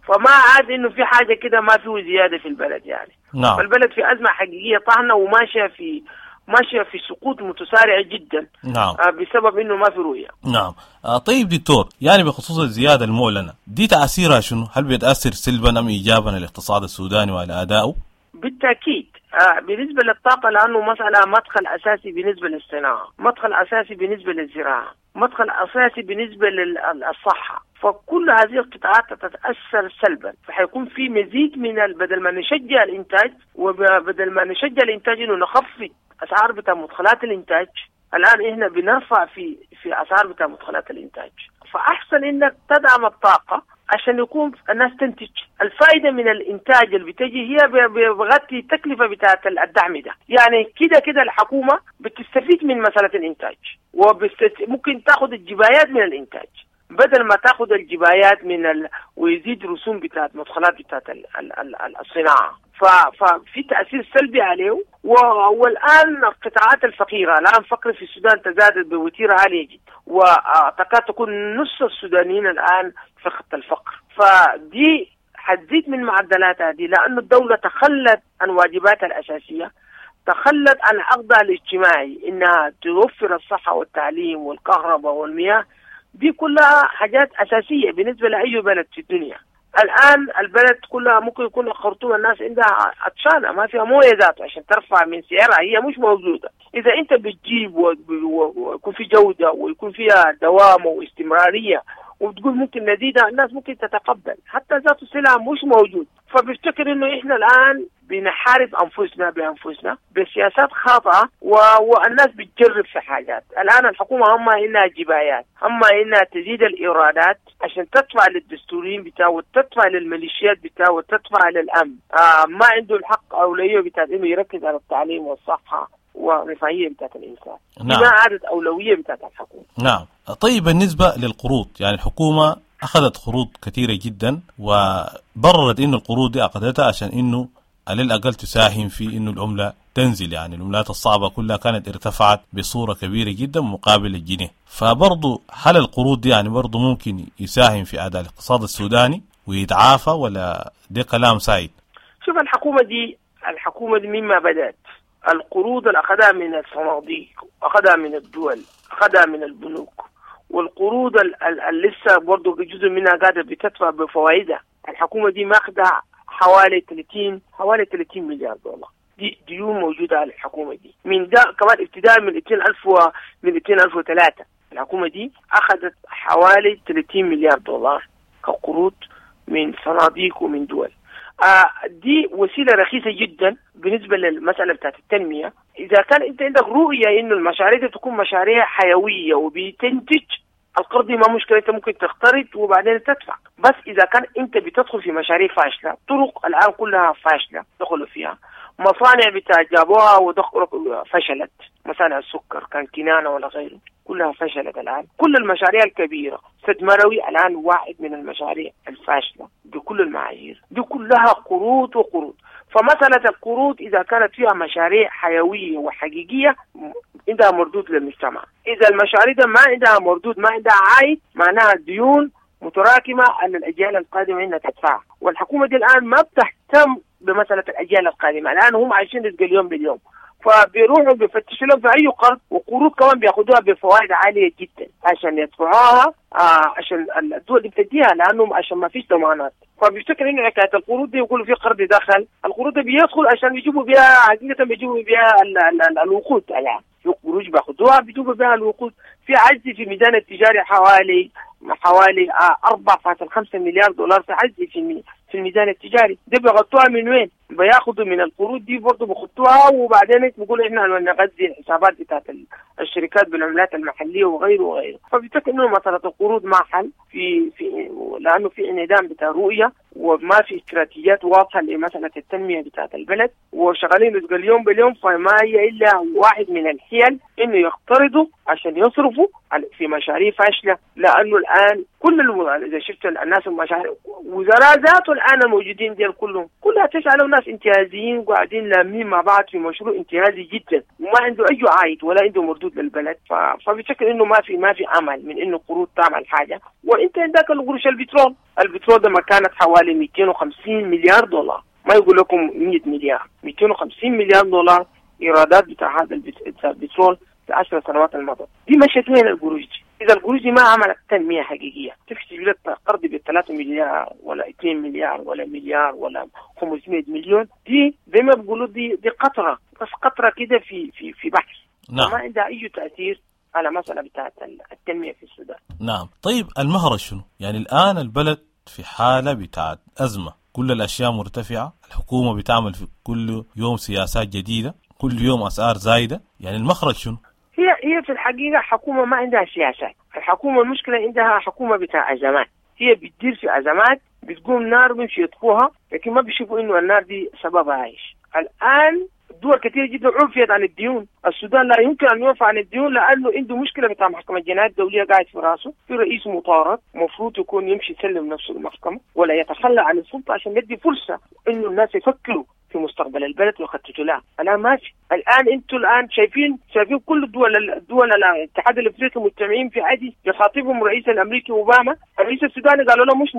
فما عاد انه في حاجة كده ما فيه زيادة في البلد يعني.
نعم.
فالبلد في ازمة حقيقية طاحنة وماشية في ماشية في سقوط متسارع جدا.
نعم.
بسبب انه ما في رؤية.
نعم. آه طيب دكتور، يعني بخصوص الزيادة المعلنة دي تاثيرها شنو؟ هل بيتاثر سلبا ام ايجابا على الاقتصاد السوداني وعلى ادائه؟
بالتاكيد. آه بالنسبة للطاقة، لأنه مسألة مدخل أساسي بالنسبة للصناعة، مدخل أساسي بالنسبة للزراعة، مدخل أساسي بالنسبة للصحة، فكل هذه القطاعات تتأثر سلبا، فحيكون في مزيد من بدل ما نشجع الإنتاج، وبدل ما نشجع الإنتاج إنه نخفض أسعار بتاع مدخلات الإنتاج، الآن إحنا بنرفع في في أسعار بتاع مدخلات الإنتاج. فأحسن إنك تدعم الطاقة عشان يكون الناس تنتج. الفائدة من الإنتاج اللي بتجي هي بغطي التكلفة بتاعت الدعم ده، يعني كده كده الحكومة بتستفيد من مسألة الإنتاج، وممكن تاخد الجبايات من الإنتاج بدل ما تاخد الجبايات من ال... ويزيد رسوم بتاعت مدخلات بتاعت ال... ال... ال... الصناعة. ف... ففي تأثير سلبي عليه. و... والآن القطاعات الفقيرة، الآن فقر في السودان تزادت بوتيرة عالية جدا، وتكاد تكون نص السودانيين الآن في خط الفقر، فدي حتزيد من معدلاتها دي، لأن الدولة تخلت عن واجباتها الأساسية، تخلت عن عقدها الاجتماعي إنها توفر الصحة والتعليم والكهرباء والمياه، دي كلها حاجات أساسية بالنسبة لأي بلد في الدنيا. الآن البلد كلها ممكن يكون الخرطوم الناس عندها عطشانة، ما فيها موية ذاته عشان ترفع من سعرها، هي مش موجودة. إذا أنت بتجيب ويكون في جودة ويكون فيها دوام واستمرارية وبتقول ممكن نزيدها، الناس ممكن تتقبل، حتى ذات السلعة مش موجود. فبفتكر إنه إحنا الآن بنحارب أنفسنا بأنفسنا بسياسات خاطئة، و... والناس بتجرب في حاجات. الآن الحكومة هم إنها جبايات، هم إنها تزيد الإيرادات عشان تدفع للدستوريين بتاعه وتدفع للميليشيات بتاعه وتدفع للأمن. آه ما عنده الحق أولوية بتاعت إنه يركز على التعليم والصحة ورفاهية بتاعت الإنسان.
نعم.
ما عادت أولوية بتاعت الحكومة.
نعم. طيب بالنسبة للقروض، يعني الحكومة أخذت قروض كثيرة جدا وبررت إنه القروض دي أخذتها عشان إنه على الأقل تساهم في إنه العملة تنزل، يعني العملات الصعبة كلها كانت ارتفعت بصورة كبيرة جدا مقابل الجنيه. فبرضو هل القروض دي يعني برضو ممكن يساهم في أداء الاقتصاد السوداني ويتعافى، ولا ده كلام سايد؟
شوف الحكومة دي الحكومة دي مما بدأت القروض اللي أخذها من الصناديق، أخذها من الدول، أخذها من البنوك، والقروض اللي لسه برضه جزء منها قاعدة بتدفع بفوائدها. الحكومة دي ماخذة حوالي ثلاثين حوالي ثلاثين مليار دولار دي ديون موجودة على الحكومة دي من ده كمان ابتداء من ألفين و من ألفين وثلاثة الحكومة دي أخذت حوالي ثلاثين مليار دولار كقروض من صناديق ومن دول. آه دي وسيلة رخيصة جدا بالنسبة للمسألة بتاعت التنمية. إذا كان أنت عندك رؤية إنه المشاريع دي تكون مشاريع حيوية وبتنتج، القرض ما مشكلة، أنت ممكن تقترض وبعدين تدفع. بس إذا كان أنت بتدخل في مشاريع فاشلة، طرق الآن كلها فاشلة دخلوا فيها، مصانع بتاع جابوها ودخلوا فشلت، مصانع السكر كان كنانة ولا غيره كلها فشلت الآن. كل المشاريع الكبيرة، سد مروي الآن واحد من المشاريع الفاشلة بكل المعايير، دي كلها قروض وقروض. فمسألة القروض إذا كانت فيها مشاريع حيوية وحقيقية عندها مردود للمجتمع، إذا المشاريع ده ما عندها مردود، ما عندها عائد، معناها ديون متراكمة على الأجيال القادمة إنها تدفعها. والحكومة دي الآن ما بتهتم بمسألة الأجيال القادمة، الآن هم عايشين رزق اليوم باليوم، فبيروحوا بيفتشوا لهم في أي قرض، وقروض كمان بياخدوها بفوائد عالية جدا عشان يدفعوها، آه عشان الدول دي بتديها لأنهم عشان ما فيش ضمانات. فبيفتكر إنه حكاية القروض دي يقولوا في قرض دخل، القروض دي بيدخل عشان يجيبوا بها حقيقة، بيجيبوا بها ال ال ال الوقود. الآن في قروض بياخدوها بيجيبوا بها الوقود. في عجز في ميزان التجاري حوالي حوالي أربعة فاصلة خمسة مليار دولار في عجز في في الميزان التجاري. دي بيغطوها من وين؟ بياخدوا من القروض دي برضه بيخطوها، وبعدين بيقولوا احنا نغذي الحسابات بتاعت الشركات بالعملات المحلية وغيره وغيره. فبيفتكر انه مسالة القروض ما حل في في لانه في انعدام بتاع رؤية، وما في استراتيجيات واضحة لمسالة التنمية بتاعت البلد، وشغالين رزق اليوم باليوم. فما هي الا واحد من الحيل انه يقترضوا عشان يصرفوا في مشاريع فاشلة، لانه الان كل الو... اذا شفت الناس المشاريع وزراء ذاته الان الموجودين ديال كلهم كلها تشعلوا ناس انتهازيين وقاعدين لامين مع بعض في مشروع انتهازي جدا، وما عنده اي عائد ولا عنده مردود للبلد. ف... فبشكل انه ما في ما في امل من انه قروض تعمل حاجة. وانت عندك القروش البترول، البترول ده ما كانت حوالي مئتين وخمسين مليار دولار، ما يقول لكم مئة مليار، مئتين وخمسين مليار دولار ايرادات بتاع هذا البترول في عشر سنوات الماضية. دي مشت وين القروش دي؟ إذا القروش دي ما عملت تنمية حقيقية، تفشي لك قرض بالثلاثة مليار ولا اثنين مليار ولا مليار ولا خمسمائة مليون، دي زي ما بيقولوا دي دي قطرة، بس قطرة كده في في في بحر. نعم. ما عندها أي تأثير على مسألة بتاعت التنمية في السودان.
نعم. طيب المهرج شنو؟ يعني الآن البلد في حالة بتاعت أزمة، كل الأشياء مرتفعة، الحكومة بتعمل في كل يوم سياسات جديدة، كل يوم أسعار زايدة، يعني المخرج شنو؟
هي هي في الحقيقة حكومة ما عندها سياسات، الحكومة المشكلة عندها حكومة بتاع أزمات، هي بتدير في أزمات، بتقوم نار بيمشي يطفوها، لكن ما بيشوفوا إنه النار دي سببها إيش. الآن دول كثير جدا عفيت عن الديون، السودان لا يمكن أن يعفى عن الديون لأنه عنده مشكلة بتاع محكمة الجنايات الدولية قاعد في راسه، في رئيس مطارد مفروض يكون يمشي يسلم نفسه للمحكمة ولا يتخلى عن السلطة عشان يدي فرصة إنه الناس يفكروا في مستقبل البلد ويخططوا لها. الآن ماشي، الآن أنتوا الآن شايفين شايفين كل الدول الدول الاتحاد الأفريقي مجتمعين في عادي يخاطبهم الرئيس الأمريكي أوباما، الرئيس السوداني قالوا له مش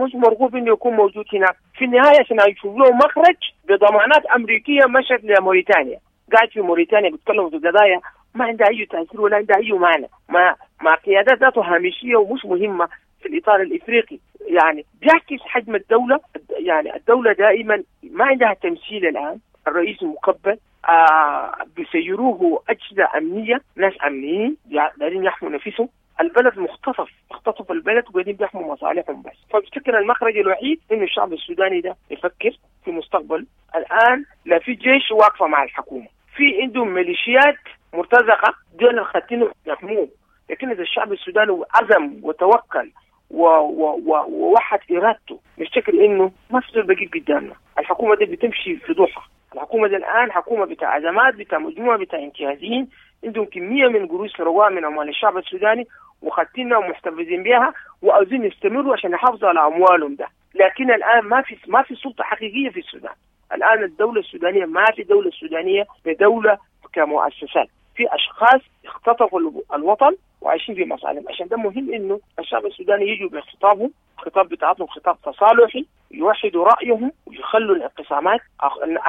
مش مرغوب إنه يكون موجود هناك. في النهاية عشان يشوفوا له مخرج بضمانات أمريكية مشت لموريتانيا، قاعد في موريتانيا بيتكلموا في قضايا ما عندها أي تأثير ولا عندها أي معنى، مع مع قيادات ذاته هامشية ومش مهمة في الإطار الإفريقي. يعني بيعكس حجم الدولة، يعني الدولة دائما ما عندها تمثيل. الآن الرئيس المقبل آه بيسيروه أجهزة أمنية، ناس أمنيين دايرين يحموا نفسهم، البلد مختطف، اختطف البلد وقاعدين بيحموا مصالحهم بس. فبفتكر المخرج الوحيد إنه الشعب السوداني ده يفكر في مستقبل. الآن لا في جيش واقفة مع الحكومة، في عندهم ميليشيات مرتزقة دول الخاتين يحموه، لكن إذا الشعب السوداني عزم وتوكل ووحد إرادته، نفتكر إنه ما في زول بقيت قدامنا. الحكومة دي بتمشي في ضحى، الحكومة دي الآن حكومة بتاع أزمات، بتاع مجموعة بتاع انتهازيين، عندهم كمية من قروش سرقوها من أموال الشعب السوداني وخدتينها ومحتفظين بها وعاوزين يستمروا عشان يحافظوا على أموالهم ده. لكن الآن ما في ما في سلطة حقيقية في السودان. الآن الآن الدولة السودانية ما في دولة سودانية بدولة كمؤسسات، في أشخاص اختطفوا الوطن وعايشين في مصالحهم. عشان ده مهم إنه الشعب السوداني يجوا بخطابهم، خطاب بتاعتهم خطاب تصالحي، يوحدوا رأيهم ويخلوا الانقسامات،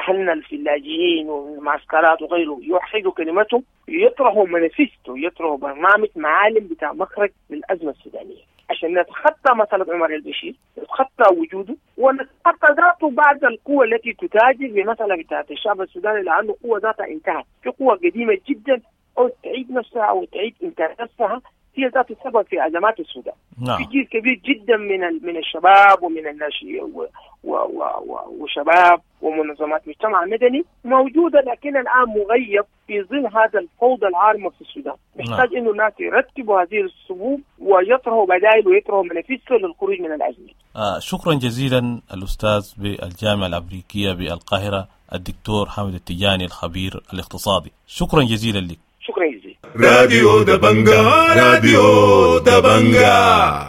أهلنا في اللاجئين والمعسكرات وغيره يوحدوا كلمتهم، يطرحوا مانيفستو، يطرحوا برنامج معالم بتاع مخرج للأزمة السودانية عشان نتخطى مسألة عمر البشير، نتخطى وجوده ونتخطى ذاته بعد القوة التي تتاجر بمسألة بتاعت الشعب السوداني، لأنه قوة ذاتها انتهت. في قوة قديمة جدا أو تعيد نفسها أو تعيد إنتاج نفسها، هي ذات السبب في أزمات السودان.
نعم.
في جيل كبير جدا من من الشباب ومن الناشئين و و و وشباب ومنظمات مجتمع مدني موجودة، لكن الآن مغيب في ظل هذا الفوضى العارمة في السودان. محتاج إنه الناس يرتبوا هذه الصفوف ويطرحوا بدائل ويطرحوا منافسه للخروج من الأزمة.
آه شكرا جزيلا الأستاذ بالجامعة الأمريكية بالقاهرة الدكتور حامد التجاني الخبير الاقتصادي، شكرا جزيلا لك.
شكرا جزيلا.
راديو دبنجا، راديو دبنجا.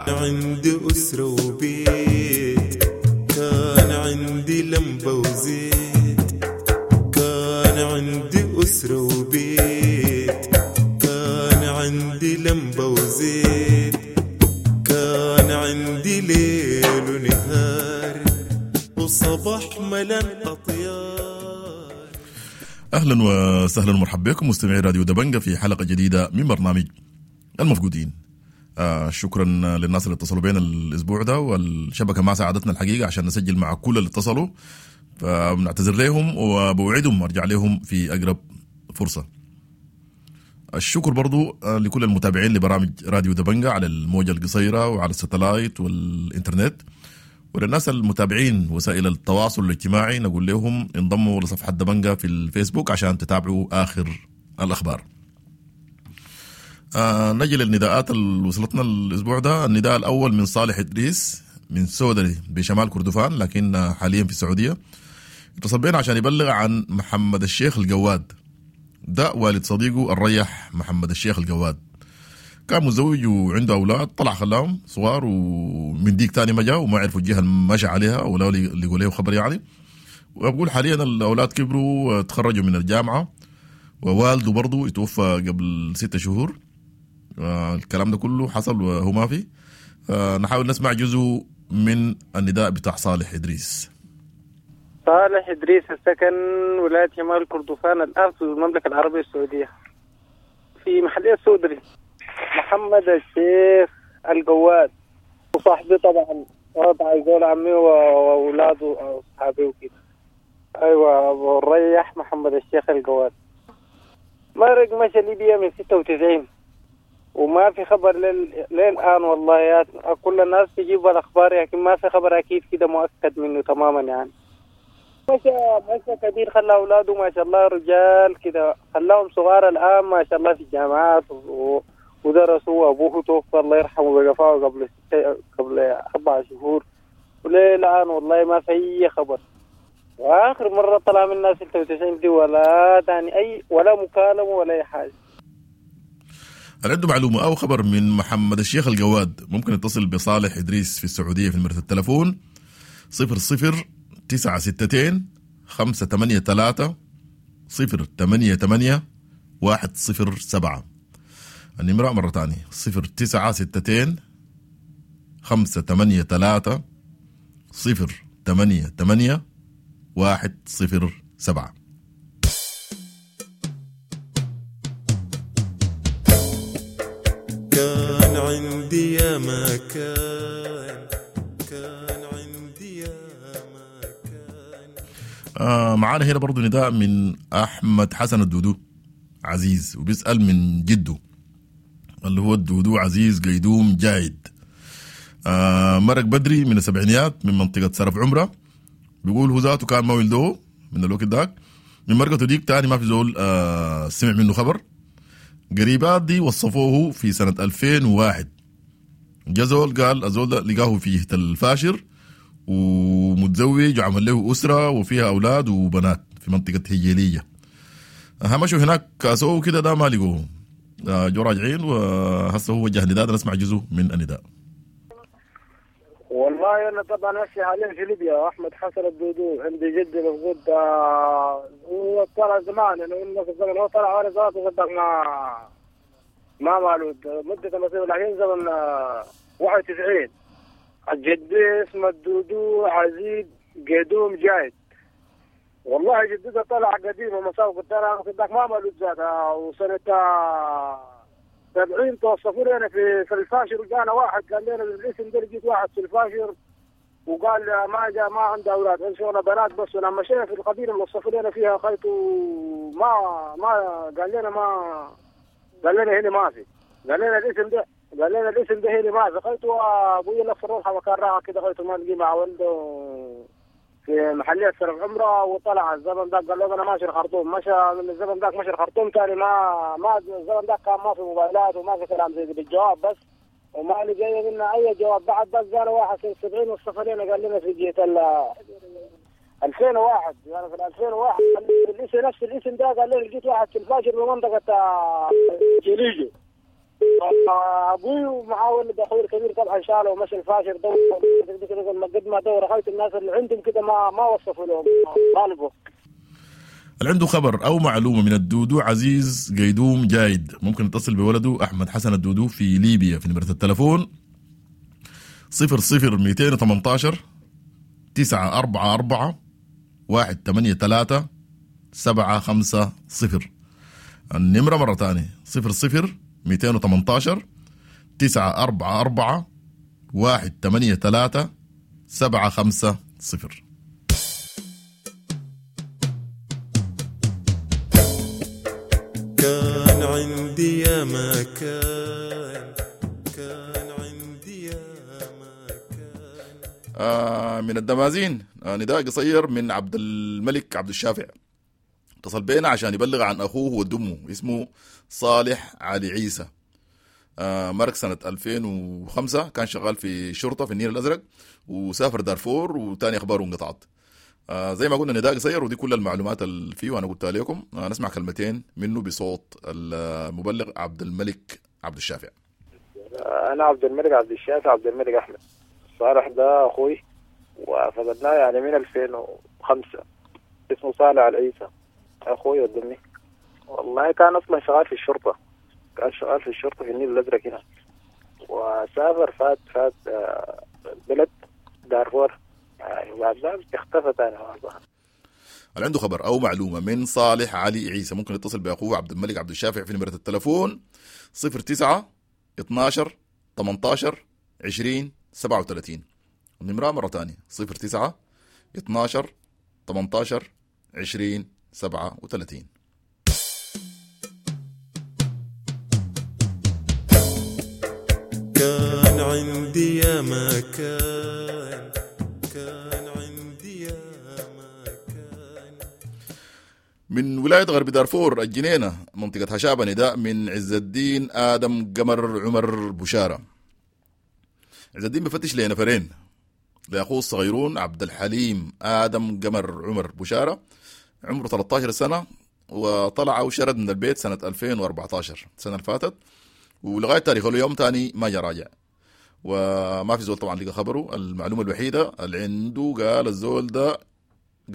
عندي أسرة وبيت، كان عندي لمبة وزيت، كان عندي أسرة وبيت، كان عندي لمبة وزيت، كان عندي ليل ونهار وصباح ملان أطيار.
أهلا وسهلا ومرحبا بكم مستمعي راديو دبنجة في حلقة جديدة من برنامج المفقودين. آه شكرا للناس اللي اتصلوا بينا الأسبوع ده، والشبكة ما ساعدتنا الحقيقة عشان نسجل مع كل اللي اتصلوا، فبنعتذر لهم وبوعدهم أرجع لهم في أقرب فرصة. الشكر برضو لكل المتابعين لبرامج راديو دبنجة على الموجة القصيرة وعلى الستلايت والإنترنت، وللناس المتابعين وسائل التواصل الاجتماعي نقول لهم انضموا لصفحة دبنجة في الفيسبوك عشان تتابعوا آخر الأخبار. آه نجي للنداءات اللي وصلتنا الأسبوع ده. النداء الأول من صالح إدريس من سودري بشمال كردفان، لكن حاليا في السعودية. اتصل بينا عشان يبلغ عن محمد الشيخ الجواد، ده والد صديقه الريح محمد الشيخ الجواد، كان متزوج وعنده أولاد، طلع خلاهم صغار ومن ديك تاني ما جاء وما عرفوا الجهة اللي مشى عليها ولا لقوا له خبر يعني. وبقول حاليا الأولاد كبروا وتخرجوا من الجامعة، ووالده برضو يتوفى قبل ستة شهور. الكلام ده كله حصل وهو ما في. نحاول نسمع جزء من النداء بتاع صالح إدريس.
صالح إدريس السكن ولاية شمال كردفان الآن في المملكة العربية السعودية في محلية السودري. محمد الشيخ الجواد وصاحبي طبعا، طبعا زول عمي واولاده واصحابي وكده. ايوه ابو الريح محمد الشيخ الجواد مرق مشى ليبيا من ستة وتسعين وما في خبر لل... للان والله. يا كل الناس تجيب الاخبار لكن ما في خبر اكيد كده مؤكد منه تماما يعني. مشى مشى كبير، خلى اولاده ما شاء الله رجال كده، خلاهم صغار الان ما شاء الله في الجامعات و... ودرسوا. أبوه توفى الله يرحمه بقفاه قبل ستة قبل أربع شهور، وليه الآن والله ما في أي خبر. وآخر مرة طلع من ستة وتسعين دي ولا تاني أي ولا مكالمة ولا أي حاجة.
هل عنده معلومة أو خبر من محمد الشيخ الجواد ممكن يتصل بصالح إدريس في السعودية في نمرة التلفون صفر صفر تسعة ستتين خمسة ثمانية ثلاثة صفر ثمانية ثمانية واحد صفر سبعة. النمرة مرة تانية صفر تسعة ستتين خمسة ثمانية ثلاثة صفر ثمانية ثمانية واحد صفر سبعة.
كان عندي يا ما كان، كان عندي يا ما كان.
آه معانا هنا برضو نداء من أحمد حسن الدودو عزيز، وبيسأل من جده اللي هو الدودو عزيز قيدوم جايد. آه مرق بدري من السبعينيات من منطقة سرف عمرة، بيقول هو ذاته كان ما ولدوه من الوقت داك، من مرقته ديك تاني ما في زول آه سمع منه خبر. قريبات دي وصفوه في سنة ألفين وواحد، جزول قال الزول ده لقاه في الفاشر ومتزوج وعمل له أسرة وفيها أولاد وبنات في منطقة هجيلية. همشوا هناك كاسوه كده ده ما لقوه، جو راجعين وهسه هو وجه نداء. نسمع جزء من النداء.
والله
والله انا طبعا هسه حاليا في ليبيا. احمد حسن الدودو عندي جدي مفقود، هو طلع زمان يعني في الزمن هو طلع وانا ذاته صدق ما ما مالود مدة مصير، لكن زمن واحد وتسعين. جدي اسمه الدودو عزيز قدوم جايد. والله جدته طلع قديم ومساوق الدرع صدق ما مالود ذاتها، وسنة سبعين توصفوا لنا في في الفاشر، وجانا واحد قال لنا بالاسم ده لقيت واحد في الفاشر وقال ما جاء ما عنده اولاد عنده شغله بنات بس. ولما مشينا في القبيلة اللي وصفوا لنا فيها خيط ما ما قال لنا ما قال لنا هنا ما في، قال لنا الاسم ده قال لنا الاسم ده هنا ما في. خيط وابوي لف الروحه وكان راعى كده خيط ما لقي مع ولده في محلية سرف عمره، وطلع الزمن ذاك قال له انا ماشي الخرطوم. مشى من الزمن ذاك مشى الخرطوم ثاني ما ما الزمن ذاك كان ما في موبايلات وما في كلام زي بالجواب بس، وما لقينا منا اي جواب بعد. بس قال واحد سنة سبعين والسفرين قال لنا في جهة ال ألفين وواحد، يعني في ألفين وواحد الاسم نفس الاسم ده قال لنا لقيت واحد في الفاجر بمنطقة جليجو. ابوي ومعاه ولد اخوي الكبير طبعا شاله ومشى الفاشر دور قد ما دور خيط الناس اللي عندهم كده ما ما وصفوا لهم طالبوا.
اللي عنده خبر او معلومة من الدودو عزيز قيدوم جايد ممكن يتصل بولده احمد حسن الدودو في ليبيا في نمره التلفون صفر صفر مئتين وثمانية عشر تسعة أربعة أربعة واحد ثمانية ثلاثة سبعة خمسة صفر. النمرة مرة ثانية صفر صفر مئتين وثمانية عشر تسعة أربعة أربعة واحد ثمانية ثلاثة سبعة خمسة صفر.
كان عندي يا ما كان، كان عندي يا ما كان.
آه من الدمازين آه نداء قصير من عبد الملك عبد الشافع، اتصل بينا عشان يبلغ عن أخوه ودمه اسمه صالح علي عيسى. آه مرق سنة ألفين وخمسة، كان شغال في شرطة في النيل الأزرق وسافر دارفور وتاني أخباره انقطعت. آه زي ما قلنا نداء قصير ودي كل المعلومات اللي فيه وأنا قلتها لكم. آه نسمع كلمتين منه بصوت المبلغ عبد الملك عبد الشافع.
أنا عبد الملك عبد الشافع عبد الملك أحمد. صالح ده أخوي وفقدناه يعني من ألفين وخمسة، اسمه صالح علي عيسى أخوي ودمي. والله كان أصلا شغال في الشرطة، كان شغال في الشرطة في النيل الأزرق هنا، وسافر فات فات البلد دارفور يعني، وبعد ذلك اختفى تاني.
اللي عنده خبر أو معلومة من صالح علي عيسى ممكن يتصل بأخوه عبد الملك عبد الشافع في نمرة التلفون صفر تسعة اثناشر ثمانتاشر عشرين سبعة وثلاثين. النمرة مرة تانية صفر تسعة اثناشر ثمانتاشر عشرين سبعة وثلاثين.
كان عندي يا ما كان، كان عندي يا ما كان.
من ولاية غرب دارفور الجنينة منطقة هشابة نداء من عز الدين آدم قمر عمر بشارة. عز الدين بفتش لنفرين، لأخوه الصغيرون عبد الحليم آدم قمر عمر بشارة عمره ثلاثة عشر سنة، وطلع وشرد من البيت سنة ألفين وأربعة عشر السنة اللي فاتت، ولغاية تاريخ اليوم تاني ما جا راجع وما في زول طبعا لقى خبره. المعلومة الوحيدة اللي عنده قال الزول ده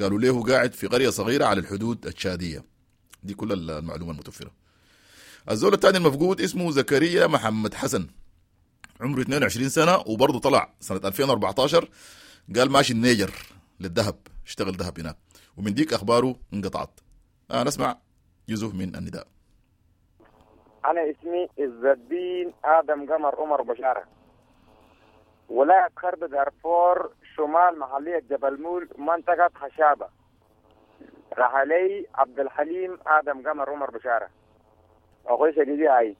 قالوا له قاعد في قرية صغيرة على الحدود التشادية. دي كل المعلومة المتوفرة. الزول الثاني المفقود اسمه زكريا محمد حسن عمره اثنين وعشرين سنة، وبرضه طلع سنة ألفين وأربعة عشر قال ماشي النيجر للذهب، اشتغل ذهب هناك، ومن ديك أخباره انقطعت. آه نسمع جزء من النداء.
أنا اسمي عز الدين آدم قمر عمر بشارة، ولاية غرب دارفور شمال محلية جبل مول منطقة خشابة. رحلي عبد الحليم آدم قمر عمر بشارة أخوي شديدي. هاي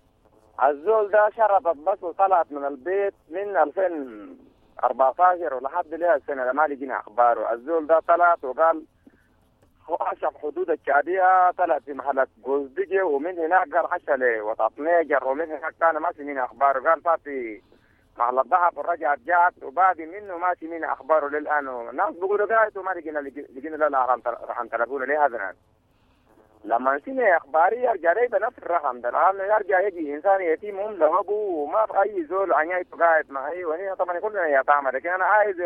الزول ده شرطت بس وطلعت من البيت من ألفين وأربعة عشر ولحد لها السنة ما لقينا أخباره. الزول ده طلعت وقال عشق حدود الشعبية، طلعت في محلات جوزدجي ومن هناك قال عشا لوطاط نيجر، ومن هناك كان ما سمينا أخباره. قال فاتي محل الذهب ورجعت جات وبعد منه ما سمينا أخباره للآن. الناس بيقولوا قاعد وما لقينا لقينا لا رحم تلفونه ليه هذا الآن. لما سمع اخباري يرجع لي بنفس الرقم ده، لانه يرجع يجي انسان يتيم هم له ابوه وما في اي زول عنيته قاعد معي، وانا طبعا كلنا يتامى، لكن انا عايز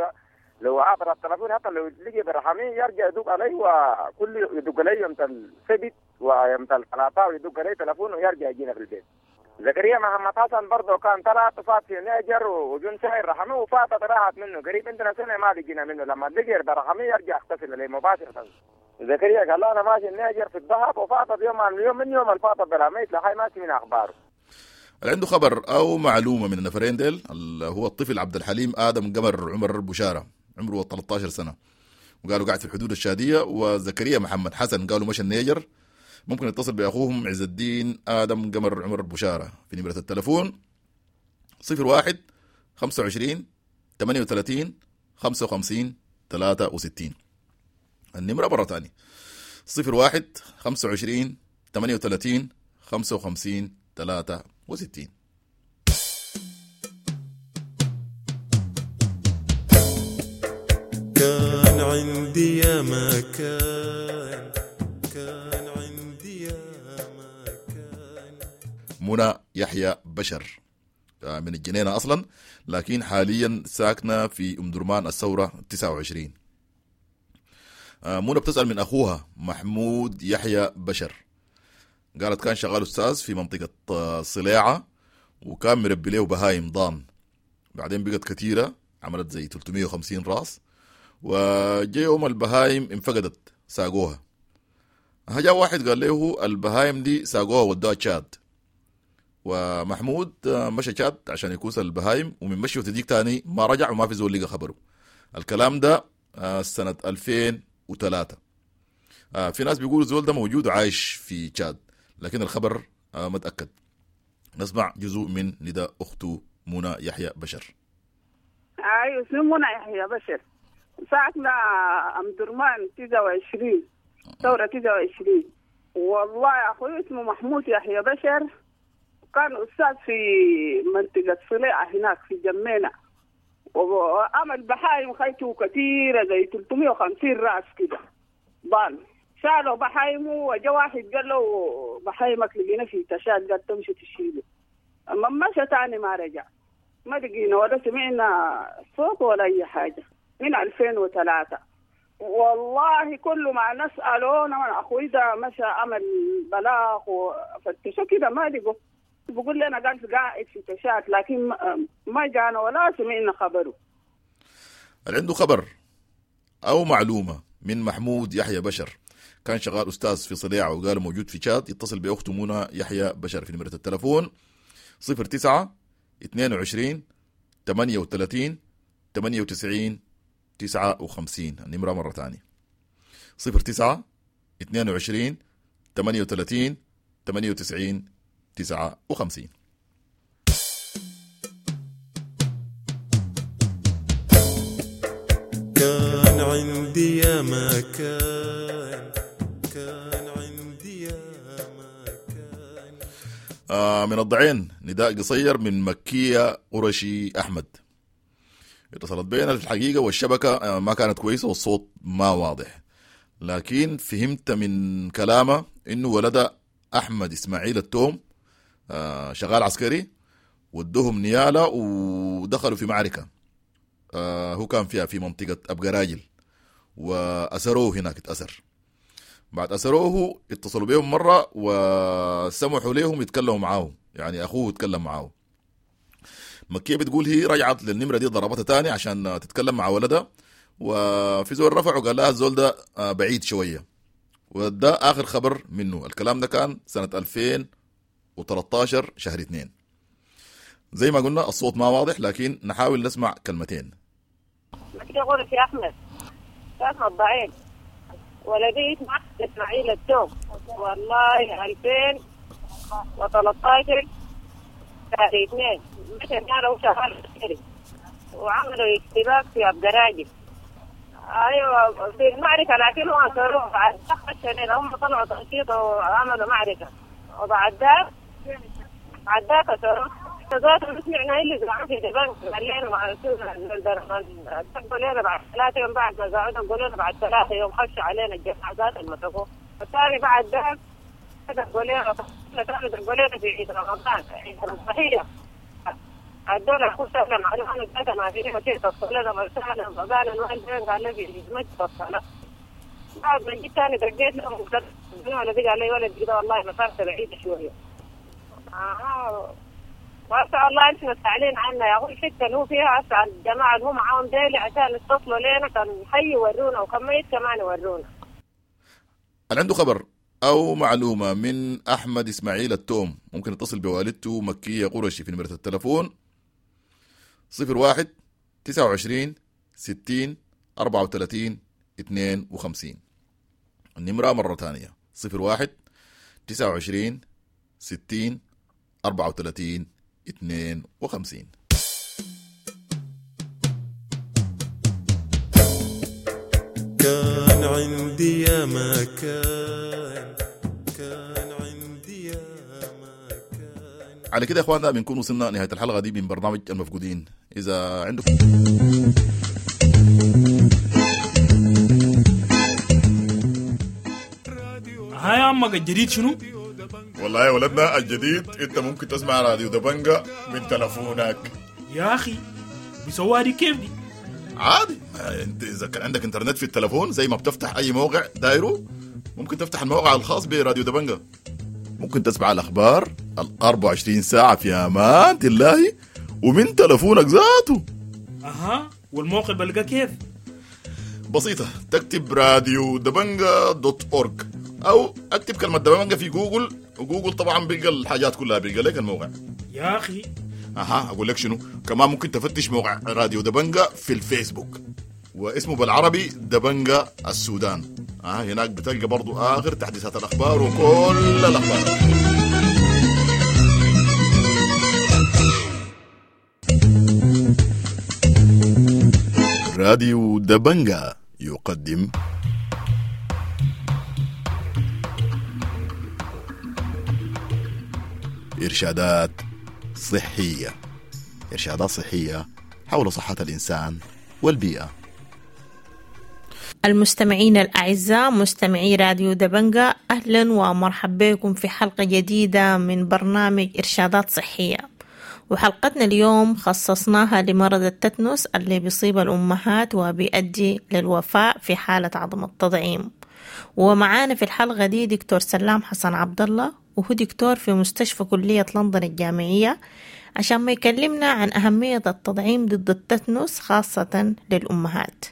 لو عبر التلفون حتى لو لقي برحمي يرجع يدق علي، وكل يدق علي يوم السبت ويوم الثلاثاء ويدق علي تلفون ويرجع يجينا في البيت. زكريا محمد حسن برضه كان طلع فات في نيجر وجون شاير رحمه وفاتت راحت منه قريب عندنا سنه ما لقينا منه، لما لقي برحمي يرجع اغتسل عليه مباشره. زكريا قال له انا ماشي النيجر في الذهب، وفاتت يوم عن يوم من يوم الفاتت برحمي لحي ما من اخباره.
اللي عنده خبر او معلومه من النفرين ديل اللي هو الطفل عبد الحليم ادم قمر عمر بشاره عمره ثلاثة عشر سنه وقالوا قاعد في الحدود الشاديه، وزكريا محمد حسن قالوا مشى النيجر، ممكن يتصل باخوهم عز الدين ادم قمر عمر بشاره في نمره التلفون صفر واحد خمسة وعشرين ثمانية وثلاثين خمسة وخمسين ثلاثة وستين. النمره مره ثانيه صفر واحد خمسة وعشرين ثمانية وثلاثين خمسة وخمسين ثلاثة وستين.
كان عندي يا مكان، كان عندي يا مكان.
منى يحيى بشر من الجنينة أصلا، لكن حاليا ساكنة في أم درمان الثورة تسعة وعشرين. منى بتسأل من أخوها محمود يحيى بشر، قالت كان شغال أستاذ في منطقة صلاعة وكان مربي له بهايم ضان، بعدين بقت كثيرة عملت زي ثلاثمية وخمسين راس، وجاء يوم البهايم انفقدت ساقوها. جاء واحد قال له البهايم دي ساقوها ودوها تشاد، ومحمود مشى تشاد عشان يكوس البهايم، ومن مشي وتديك تاني ما رجع وما في زول لقى خبره. الكلام ده سنة ألفين وثلاثة. في ناس بيقولوا الزول ده موجود وعايش في تشاد، لكن الخبر ما تأكد. نسمع جزء من نداء أخته منى يحيى بشر.
أيوة اسمي منى يحيى بشر، ساكنة أم درمان تسعة وعشرين ثورة تسعة وعشرين. والله يا أخوي اسمه محمود يحيى بشر، كان أستاذ في منطقة صليعة هناك في جمينة، وعمل بحايم خيته كثيرة زي ثلاثمية وخمسين رأس كده ضال. شالوا بحايمه وجا واحد قال له بحايمك لقينا في تشاد، قال تمشي تشيله. أما مشى تاني ما رجع، ما لقينا ولا سمعنا صوت ولا أي حاجة من ألفين وثلاثة. والله كل ما نسأله أنا أخوي ده مشى عمل بلاغ وفتشوا كده ما لقوا، بقول لنا قال قاعد في تشاد، لكن ما جانا ولا سمعنا خبره.
اللي عنده خبر أو معلومة من محمود يحيى بشر كان شغال أستاذ في صليعة وقال موجود في تشاد، يتصل بأخته منى يحيى بشر في نمرة التلفون صفر تسعة اثنين وعشرين ثمانية وثلاثين ثمانية وتسعين تسعة وخمسين. النمرة مرة ثانية صفر تسعة اثنين وعشرين ثمانية وثلاثين ثمانية وتسعين تسعة وخمسين.
كان عندي يا مكان، كان عندي يا مكان.
آه من الضعين نداء قصير من مكية قرشي أحمد. اتصلت بينا في الحقيقة والشبكة ما كانت كويسة والصوت ما واضح، لكن فهمت من كلامه إنه ولد أحمد إسماعيل التوم شغال عسكري، ودوهم نيالة ودخلوا في معركة هو كان فيها في منطقة أبقراجل، وأسروه هناك اتأسر. بعد أسروه اتصلوا بهم مرة وسمحوا لهم يتكلموا معاه، يعني أخوه يتكلم معاه. مكية بتقول هي رجعت للنمرة دي ضربتها تاني عشان تتكلم مع ولدها، وفي زول رفع وقال لها الزول ده بعيد شوية، وده آخر خبر منه. الكلام ده كان سنة ألفين وثلاثة عشر شهر اثنين. زي ما قلنا الصوت ما واضح، لكن نحاول نسمع كلمتين.
مكية قولك يا أحمد ساكنة الضعين، ولدي اسمه إسماعيل التوم، والله ألفين وثلاثة عشر شهر اثنين مشى قالوا شغال عسكري وعملوا اشتباك في أبقراجل. ايوه في المعركه، لكن هم اصروه بعد خش هم طلعوا تنشيط وعملوا معركه، وبعد ذاك بعد ذاك اصروه ذاته سمعنا اللي زرعوا في دبنك قال لنا مع دقوا لنا بعد ثلاثة يوم، بعد ما زعونا قالوا لنا بعد ثلاثة يوم خشوا علينا الجماعة ذات المسكوه. الثاني بعد ذاك دقوا لنا ثاني دقوا لنا في عيد رمضان عيد الضحية. الدولة أخو سلم عليه أنا ثلاثة ما فيني مشيت الصلاة مرسالة قال الوالد قال لي مشيت الصلاة. بعد ما جيت ثاني دقيت لهم ولدي قال لي ولد كده والله مسافته بعيدة شوية. آه وأسأل الله أنتم مسألين عنا يا أخوي الحتة اللي هو فيها، أسأل الجماعة اللي هم معاهم ديلي عشان يتصلوا لنا كان حي يورونا وكان ميت كمان يورونا.
اللي عنده خبر أو معلومة من أحمد إسماعيل التوم ممكن يتصل بوالدته مكية قرشي في نمرة التلفون صفر واحد تسعة وعشرين ستين أربعة وثلاثين اثنين وخمسين. النمرة مرة ثانية صفر واحد تسعة وعشرين ستين أربعة وثلاثين اثنين وخمسين.
كان عندي يا ما كان، كان عندي يا ما كان.
على كده يا اخواننا بنكون وصلنا نهاية الحلقة دي من برنامج المفقودين. إذا عندكم
هاي عمك الجديد شنو؟
والله يا ولدنا الجديد انت ممكن تسمع راديو دبنجة من تلفونك.
يا اخي بيسووها دي كيف دي؟
عادي، انت اذا كان عندك انترنت في التلفون زي ما بتفتح اي موقع دايرو ممكن تفتح الموقع الخاص براديو دبنجة، ممكن تسمع الاخبار ال أربعة وعشرين ساعة في امان الله ومن تلفونك ذاته.
اها، والموقع بلقى كيف؟
بسيطة، تكتب راديو دبنجة dot org او اكتب كلمة دبنجة في جوجل، وجوجل طبعا بيلقى الحاجات كلها، بيلقى لك الموقع.
يا اخي
اها اقول لك شنو كمان، ممكن تفتش موقع راديو دبنجة في الفيسبوك واسمه بالعربي دبنجة السودان. اه هناك بتلقى برضو اخر تحديثات الاخبار وكل الاخبار. راديو دبنجة يقدم إرشادات صحية، إرشادات صحية حول صحة الإنسان والبيئة.
المستمعين الأعزاء مستمعي راديو دبنجة، أهلا ومرحبا بكم في حلقة جديدة من برنامج إرشادات صحية. وحلقتنا اليوم خصصناها لمرض التتنس اللي بيصيب الأمهات وبيؤدي للوفاة في حالة عدم التطعيم. ومعانا في الحلقة دي دكتور سلام حسن عبد الله، وهو دكتور في مستشفى كلية لندن الجامعية، عشان ما يكلمنا عن أهمية التطعيم ضد التتنس خاصة للأمهات.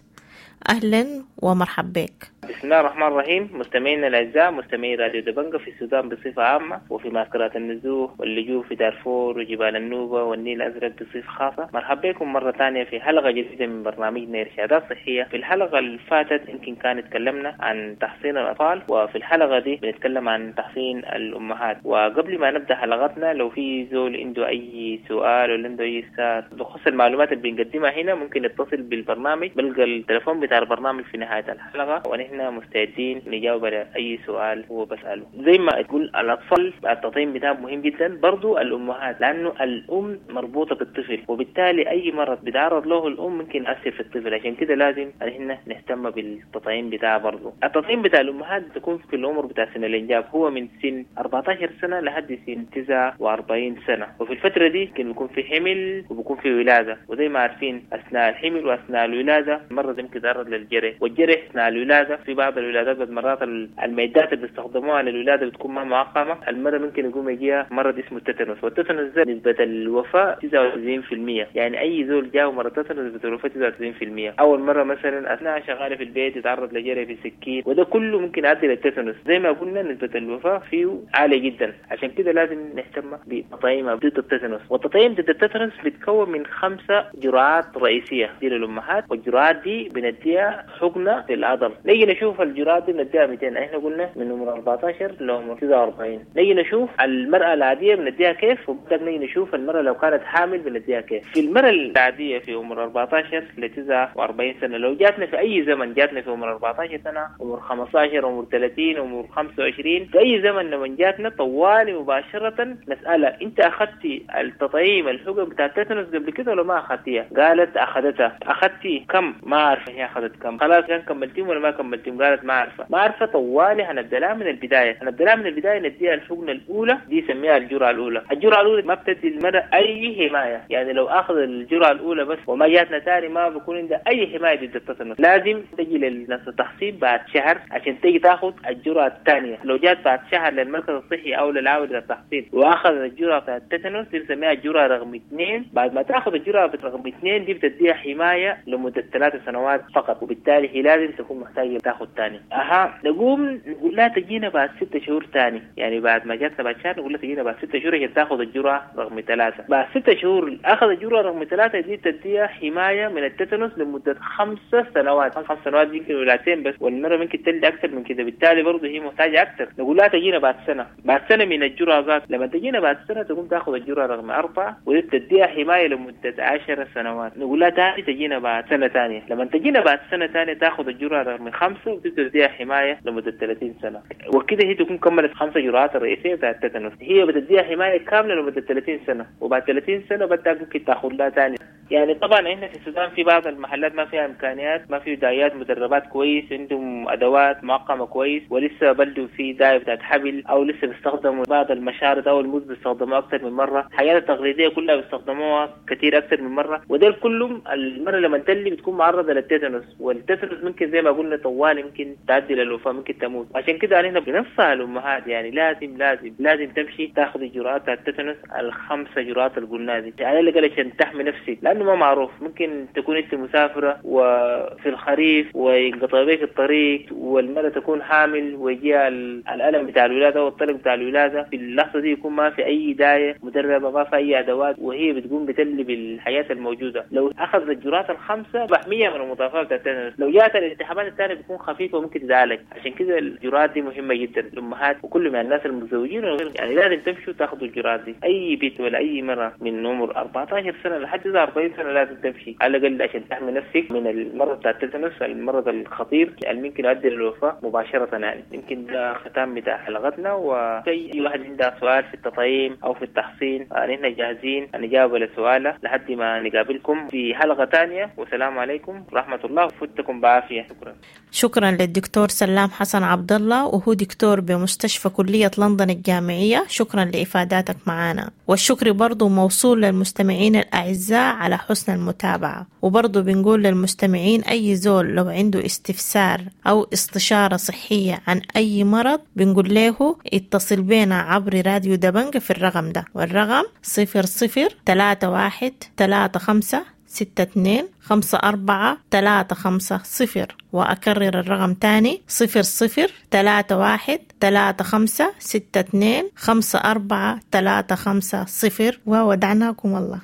أهلا ومرحبا بك.
بسم الله الرحمن الرحيم. مستمعينا الأعزاء مستمعي راديو دبنجة في السودان بصفة عامة وفي معسكرات النزوح واللجوء في دارفور وجبال النوبة والنيل الأزرق بصفة خاصة، مرحبا بكم مرة ثانية في حلقة جديدة من برنامجنا إرشادات صحية. في الحلقة اللي فاتت يمكن كان تكلمنا عن تحصين الأطفال، وفي الحلقة دي بنتكلم عن تحصين الأمهات. وقبل ما نبدأ حلقتنا لو في زول عنده أي سؤال ولا عنده أي استفسار بخصوص المعلومات اللي بنقدمها هنا ممكن يتصل بالبرنامج، بلقى التليفون بتاع البرنامج في نهاية الحلقة، ونحن مستعدين نجاوب على أي سؤال هو بسأله. زي ما تقول الأطفال التطعيم بتاعهم مهم جدا، برضو الأمهات، لأنه الأم مربوطة بالطفل، وبالتالي أي مرض بيتعرض له الأم ممكن يأثر في الطفل، عشان كده لازم احنا نهتم بالتطعيم بتاعه. برضو التطعيم بتاع الأمهات بتكون في العمر بتاع سن الإنجاب، هو من سن أربعة عشر سنة لحد سن تسعة وأربعين سنة، وفي الفترة دي ممكن بيكون في حمل وبيكون في ولادة، وزي ما عارفين أثناء الحمل وأثناء الولادة المرض يمكن يتعرض للجرح، والجرح أثناء الولادة في بعض الولادات بعد مرات المعدات اللي بيستخدموها للولادة بتكون ما معقمة، المرأة ممكن يقوم يجيها مرض اسمه التتنس، والتتنس ده نسبة الوفاة تسعة وتسعين بالمية، يعني أي زول جاء مرض التتنس نسبة الوفاة تسعة وتسعين بالمية. أول مرة مثلا أثناء شغالة في البيت يتعرض لجرح في سكين، وده كله ممكن يؤدي للتتنس. زي ما قلنا نسبة الوفاة فيه عالية جدا، عشان كده لازم نهتم بتطعيم ضد التتنس. والتطعيم ضد التتنس بيتكون من خمسة جرعات رئيسية دي للأمهات، والجرعات دي بنديها حقنة في العضل. نيجي نشوف الجرعات دي بنديها مئتين، احنا قلنا من عمر أربعة عشر لعمر تسعة وأربعين. نيجي نشوف المرأة العادية بنديها كيف، وبعدين نيجي نشوف المرأة لو كانت حامل بنديها كيف. في المرأة العادية في عمر أربعة عشر ل تسعة وأربعين سنة، لو جاتنا في أي زمن، جاتنا في عمر أربعة عشر سنة، عمر خمسة عشر، عمر ثلاثين، عمر خمسة وعشرين، في أي زمن لما جاتنا طوالي مباشرة نسألها أنت أخذتي التطعيم الحقن بتاع التتنس قبل كده ولا ما أخذتيها؟ قالت أخذتها. أخذتي كم؟ ما عارفة هي أخذت كم. خلاص كان كملتيهم ولا ما كملتيهم؟
لكم قالت ما عارفه، ما عارفه طوالي هنبدا لها من البداية، هنبدا لها من البداية نديها الحقنة الاولى دي يسميها الجرعة الاولى، الجرعة الاولى ما بتدي المرأة اي حماية، يعني لو اخذ الجرعة الاولى بس وما جاتنا تاني ما بيكون عندها اي حماية ضد التتنس، لازم تجي للناس التحصين بعد شهر عشان تيجي تاخذ الجرعة الثانية، لو جات بعد شهر للمركز الصحي او للعاوله التحصين واخذ الجرعة بتاعت التتنس دي بنسميها الجرعة رقم اثنين، بعد ما تاخذ الجرعة رقم اثنين دي بتديها حماية لمدة ثلاث سنوات فقط، وبالتالي هي لازم تكون محتاجه تاخذ ثاني. اها نقوم نقول لها تجينا بعد ست شهور ثاني، يعني بعد ما جاتنا بعد شهر نقول لها تجينا بعد ست شهور عشان تاخذ الجرعة رقم ثلاثة، بعد ست شهور اخذ الجرعة رقم ثلاثة دي تديها حماية من التتنس لمدة خمس سنوات، خمس سنوات يمكن ولادتين بس، والمرة ممكن تلد اكثر من كده، بالتالي برضه هي محتاجه اكثر. نقول لها تجينا بعد سنة، بعد سنة من الجرعة ذات، لما تجينا بعد سنة تقوم تاخذ الجرعة رقم اربعة ودي تديها حماية لمدة عشر سنوات. نقول لها تاني تجينا بعد سنة ثانية، لما تجينا بعد سنة ثانية تاخذ الجرعة رقم خمسة وتديها حماية لمدة ثلاثين سنة، وكده هي تكون كملت خمسة جرعات الرئيسية بتاعت التتنس، هي بتديها حماية كاملة لمدة ثلاثين سنة، وبعد ثلاثين سنة بدها ممكن تاخذ لها ثاني. يعني طبعا احنا في السودان في بعض المحلات ما فيها امكانيات، ما في دايات مدربات كويس، عندهم ادوات معقمه كويس، ولسه بلدوا في دايه بتاعت حبل، او لسه بيستخدموا بعض المشارط او الموز بيستخدموها اكثر من مرة، الحاجات التقليدية كلها بيستخدموها كثير اكثر من مرة، ودول كلهم المرة لما تلي بتكون معرضه للتيتانوس، والتيتانوس ممكن زي ما قلنا طوال ممكن تعدي للوفاه، ممكن تموت. عشان كده احنا بننصح الامهات يعني لازم لازم لازم تمشي تاخذ الجرعات بتاعت التيتانوس الخمسة جرعات اللي قلناها دي، على الاقل عشان تحمي نفسك، لانه ما معروف ممكن تكون انت مسافرة وفي الخريف وينقطع بك الطريق والمرأة تكون حامل ويجيها الالم بتاع الولادة والطلق بتاع الولادة، في اللحظة دي يكون ما في اي دايه مدربه، ما في اي ادوات، وهي بتقوم بتلي بالحياة الموجودة. لو اخذت الجرعات الخمسة محمية من المضاعفات بتاعت التتنس، لو جات الالتهابات الثانية بتكون خفيفة وممكن تتعالج. عشان كده الجرعات دي مهمة جدا الامهات وكل من الناس المتزوجين، يعني لازم تمشوا تاخذوا الجرعات دي. اي بيت ولا اي مرأة من عمر أربعة عشر سنة لحد أربعين سنة لازم تمشي على الاقل عشان تحمي نفسك من المرض بتاع التتنس، المرض الخطير اللي ممكن يؤدي للوفاه مباشرة. يعني يمكن ده ختام بتاع حلقتنا، وأي واحد عنده سؤال في التطعيم او في التحصين نحن جاهزين نجاوب على سؤاله لحد ما نقابلكم في حلقة ثانية، والسلام عليكم ورحمة الله، وفتكم بعافية. شكرا.
شكرا للدكتور سلام حسن عبد الله، وهو دكتور بمستشفى كلية لندن الجامعية. شكرا لإفاداتك معنا، والشكر برضو موصول للمستمعين الأعزاء على حسن المتابعة. وبرضو بنقول للمستمعين أي زول لو عنده استفسار أو استشارة صحية عن أي مرض بنقول له اتصل بينا عبر راديو دبنجة في الرقم ده، والرقم صفر صفر تلاتة واحد تلاتة خمسة ستة اتنين خمسة أربعة تلاتة خمسة صفر. وأكرر الرقم تاني صفر صفر تلاتة واحد تلاتة خمسة ستة اتنين خمسة أربعة تلاتة خمسة صفر. وودعناكم الله.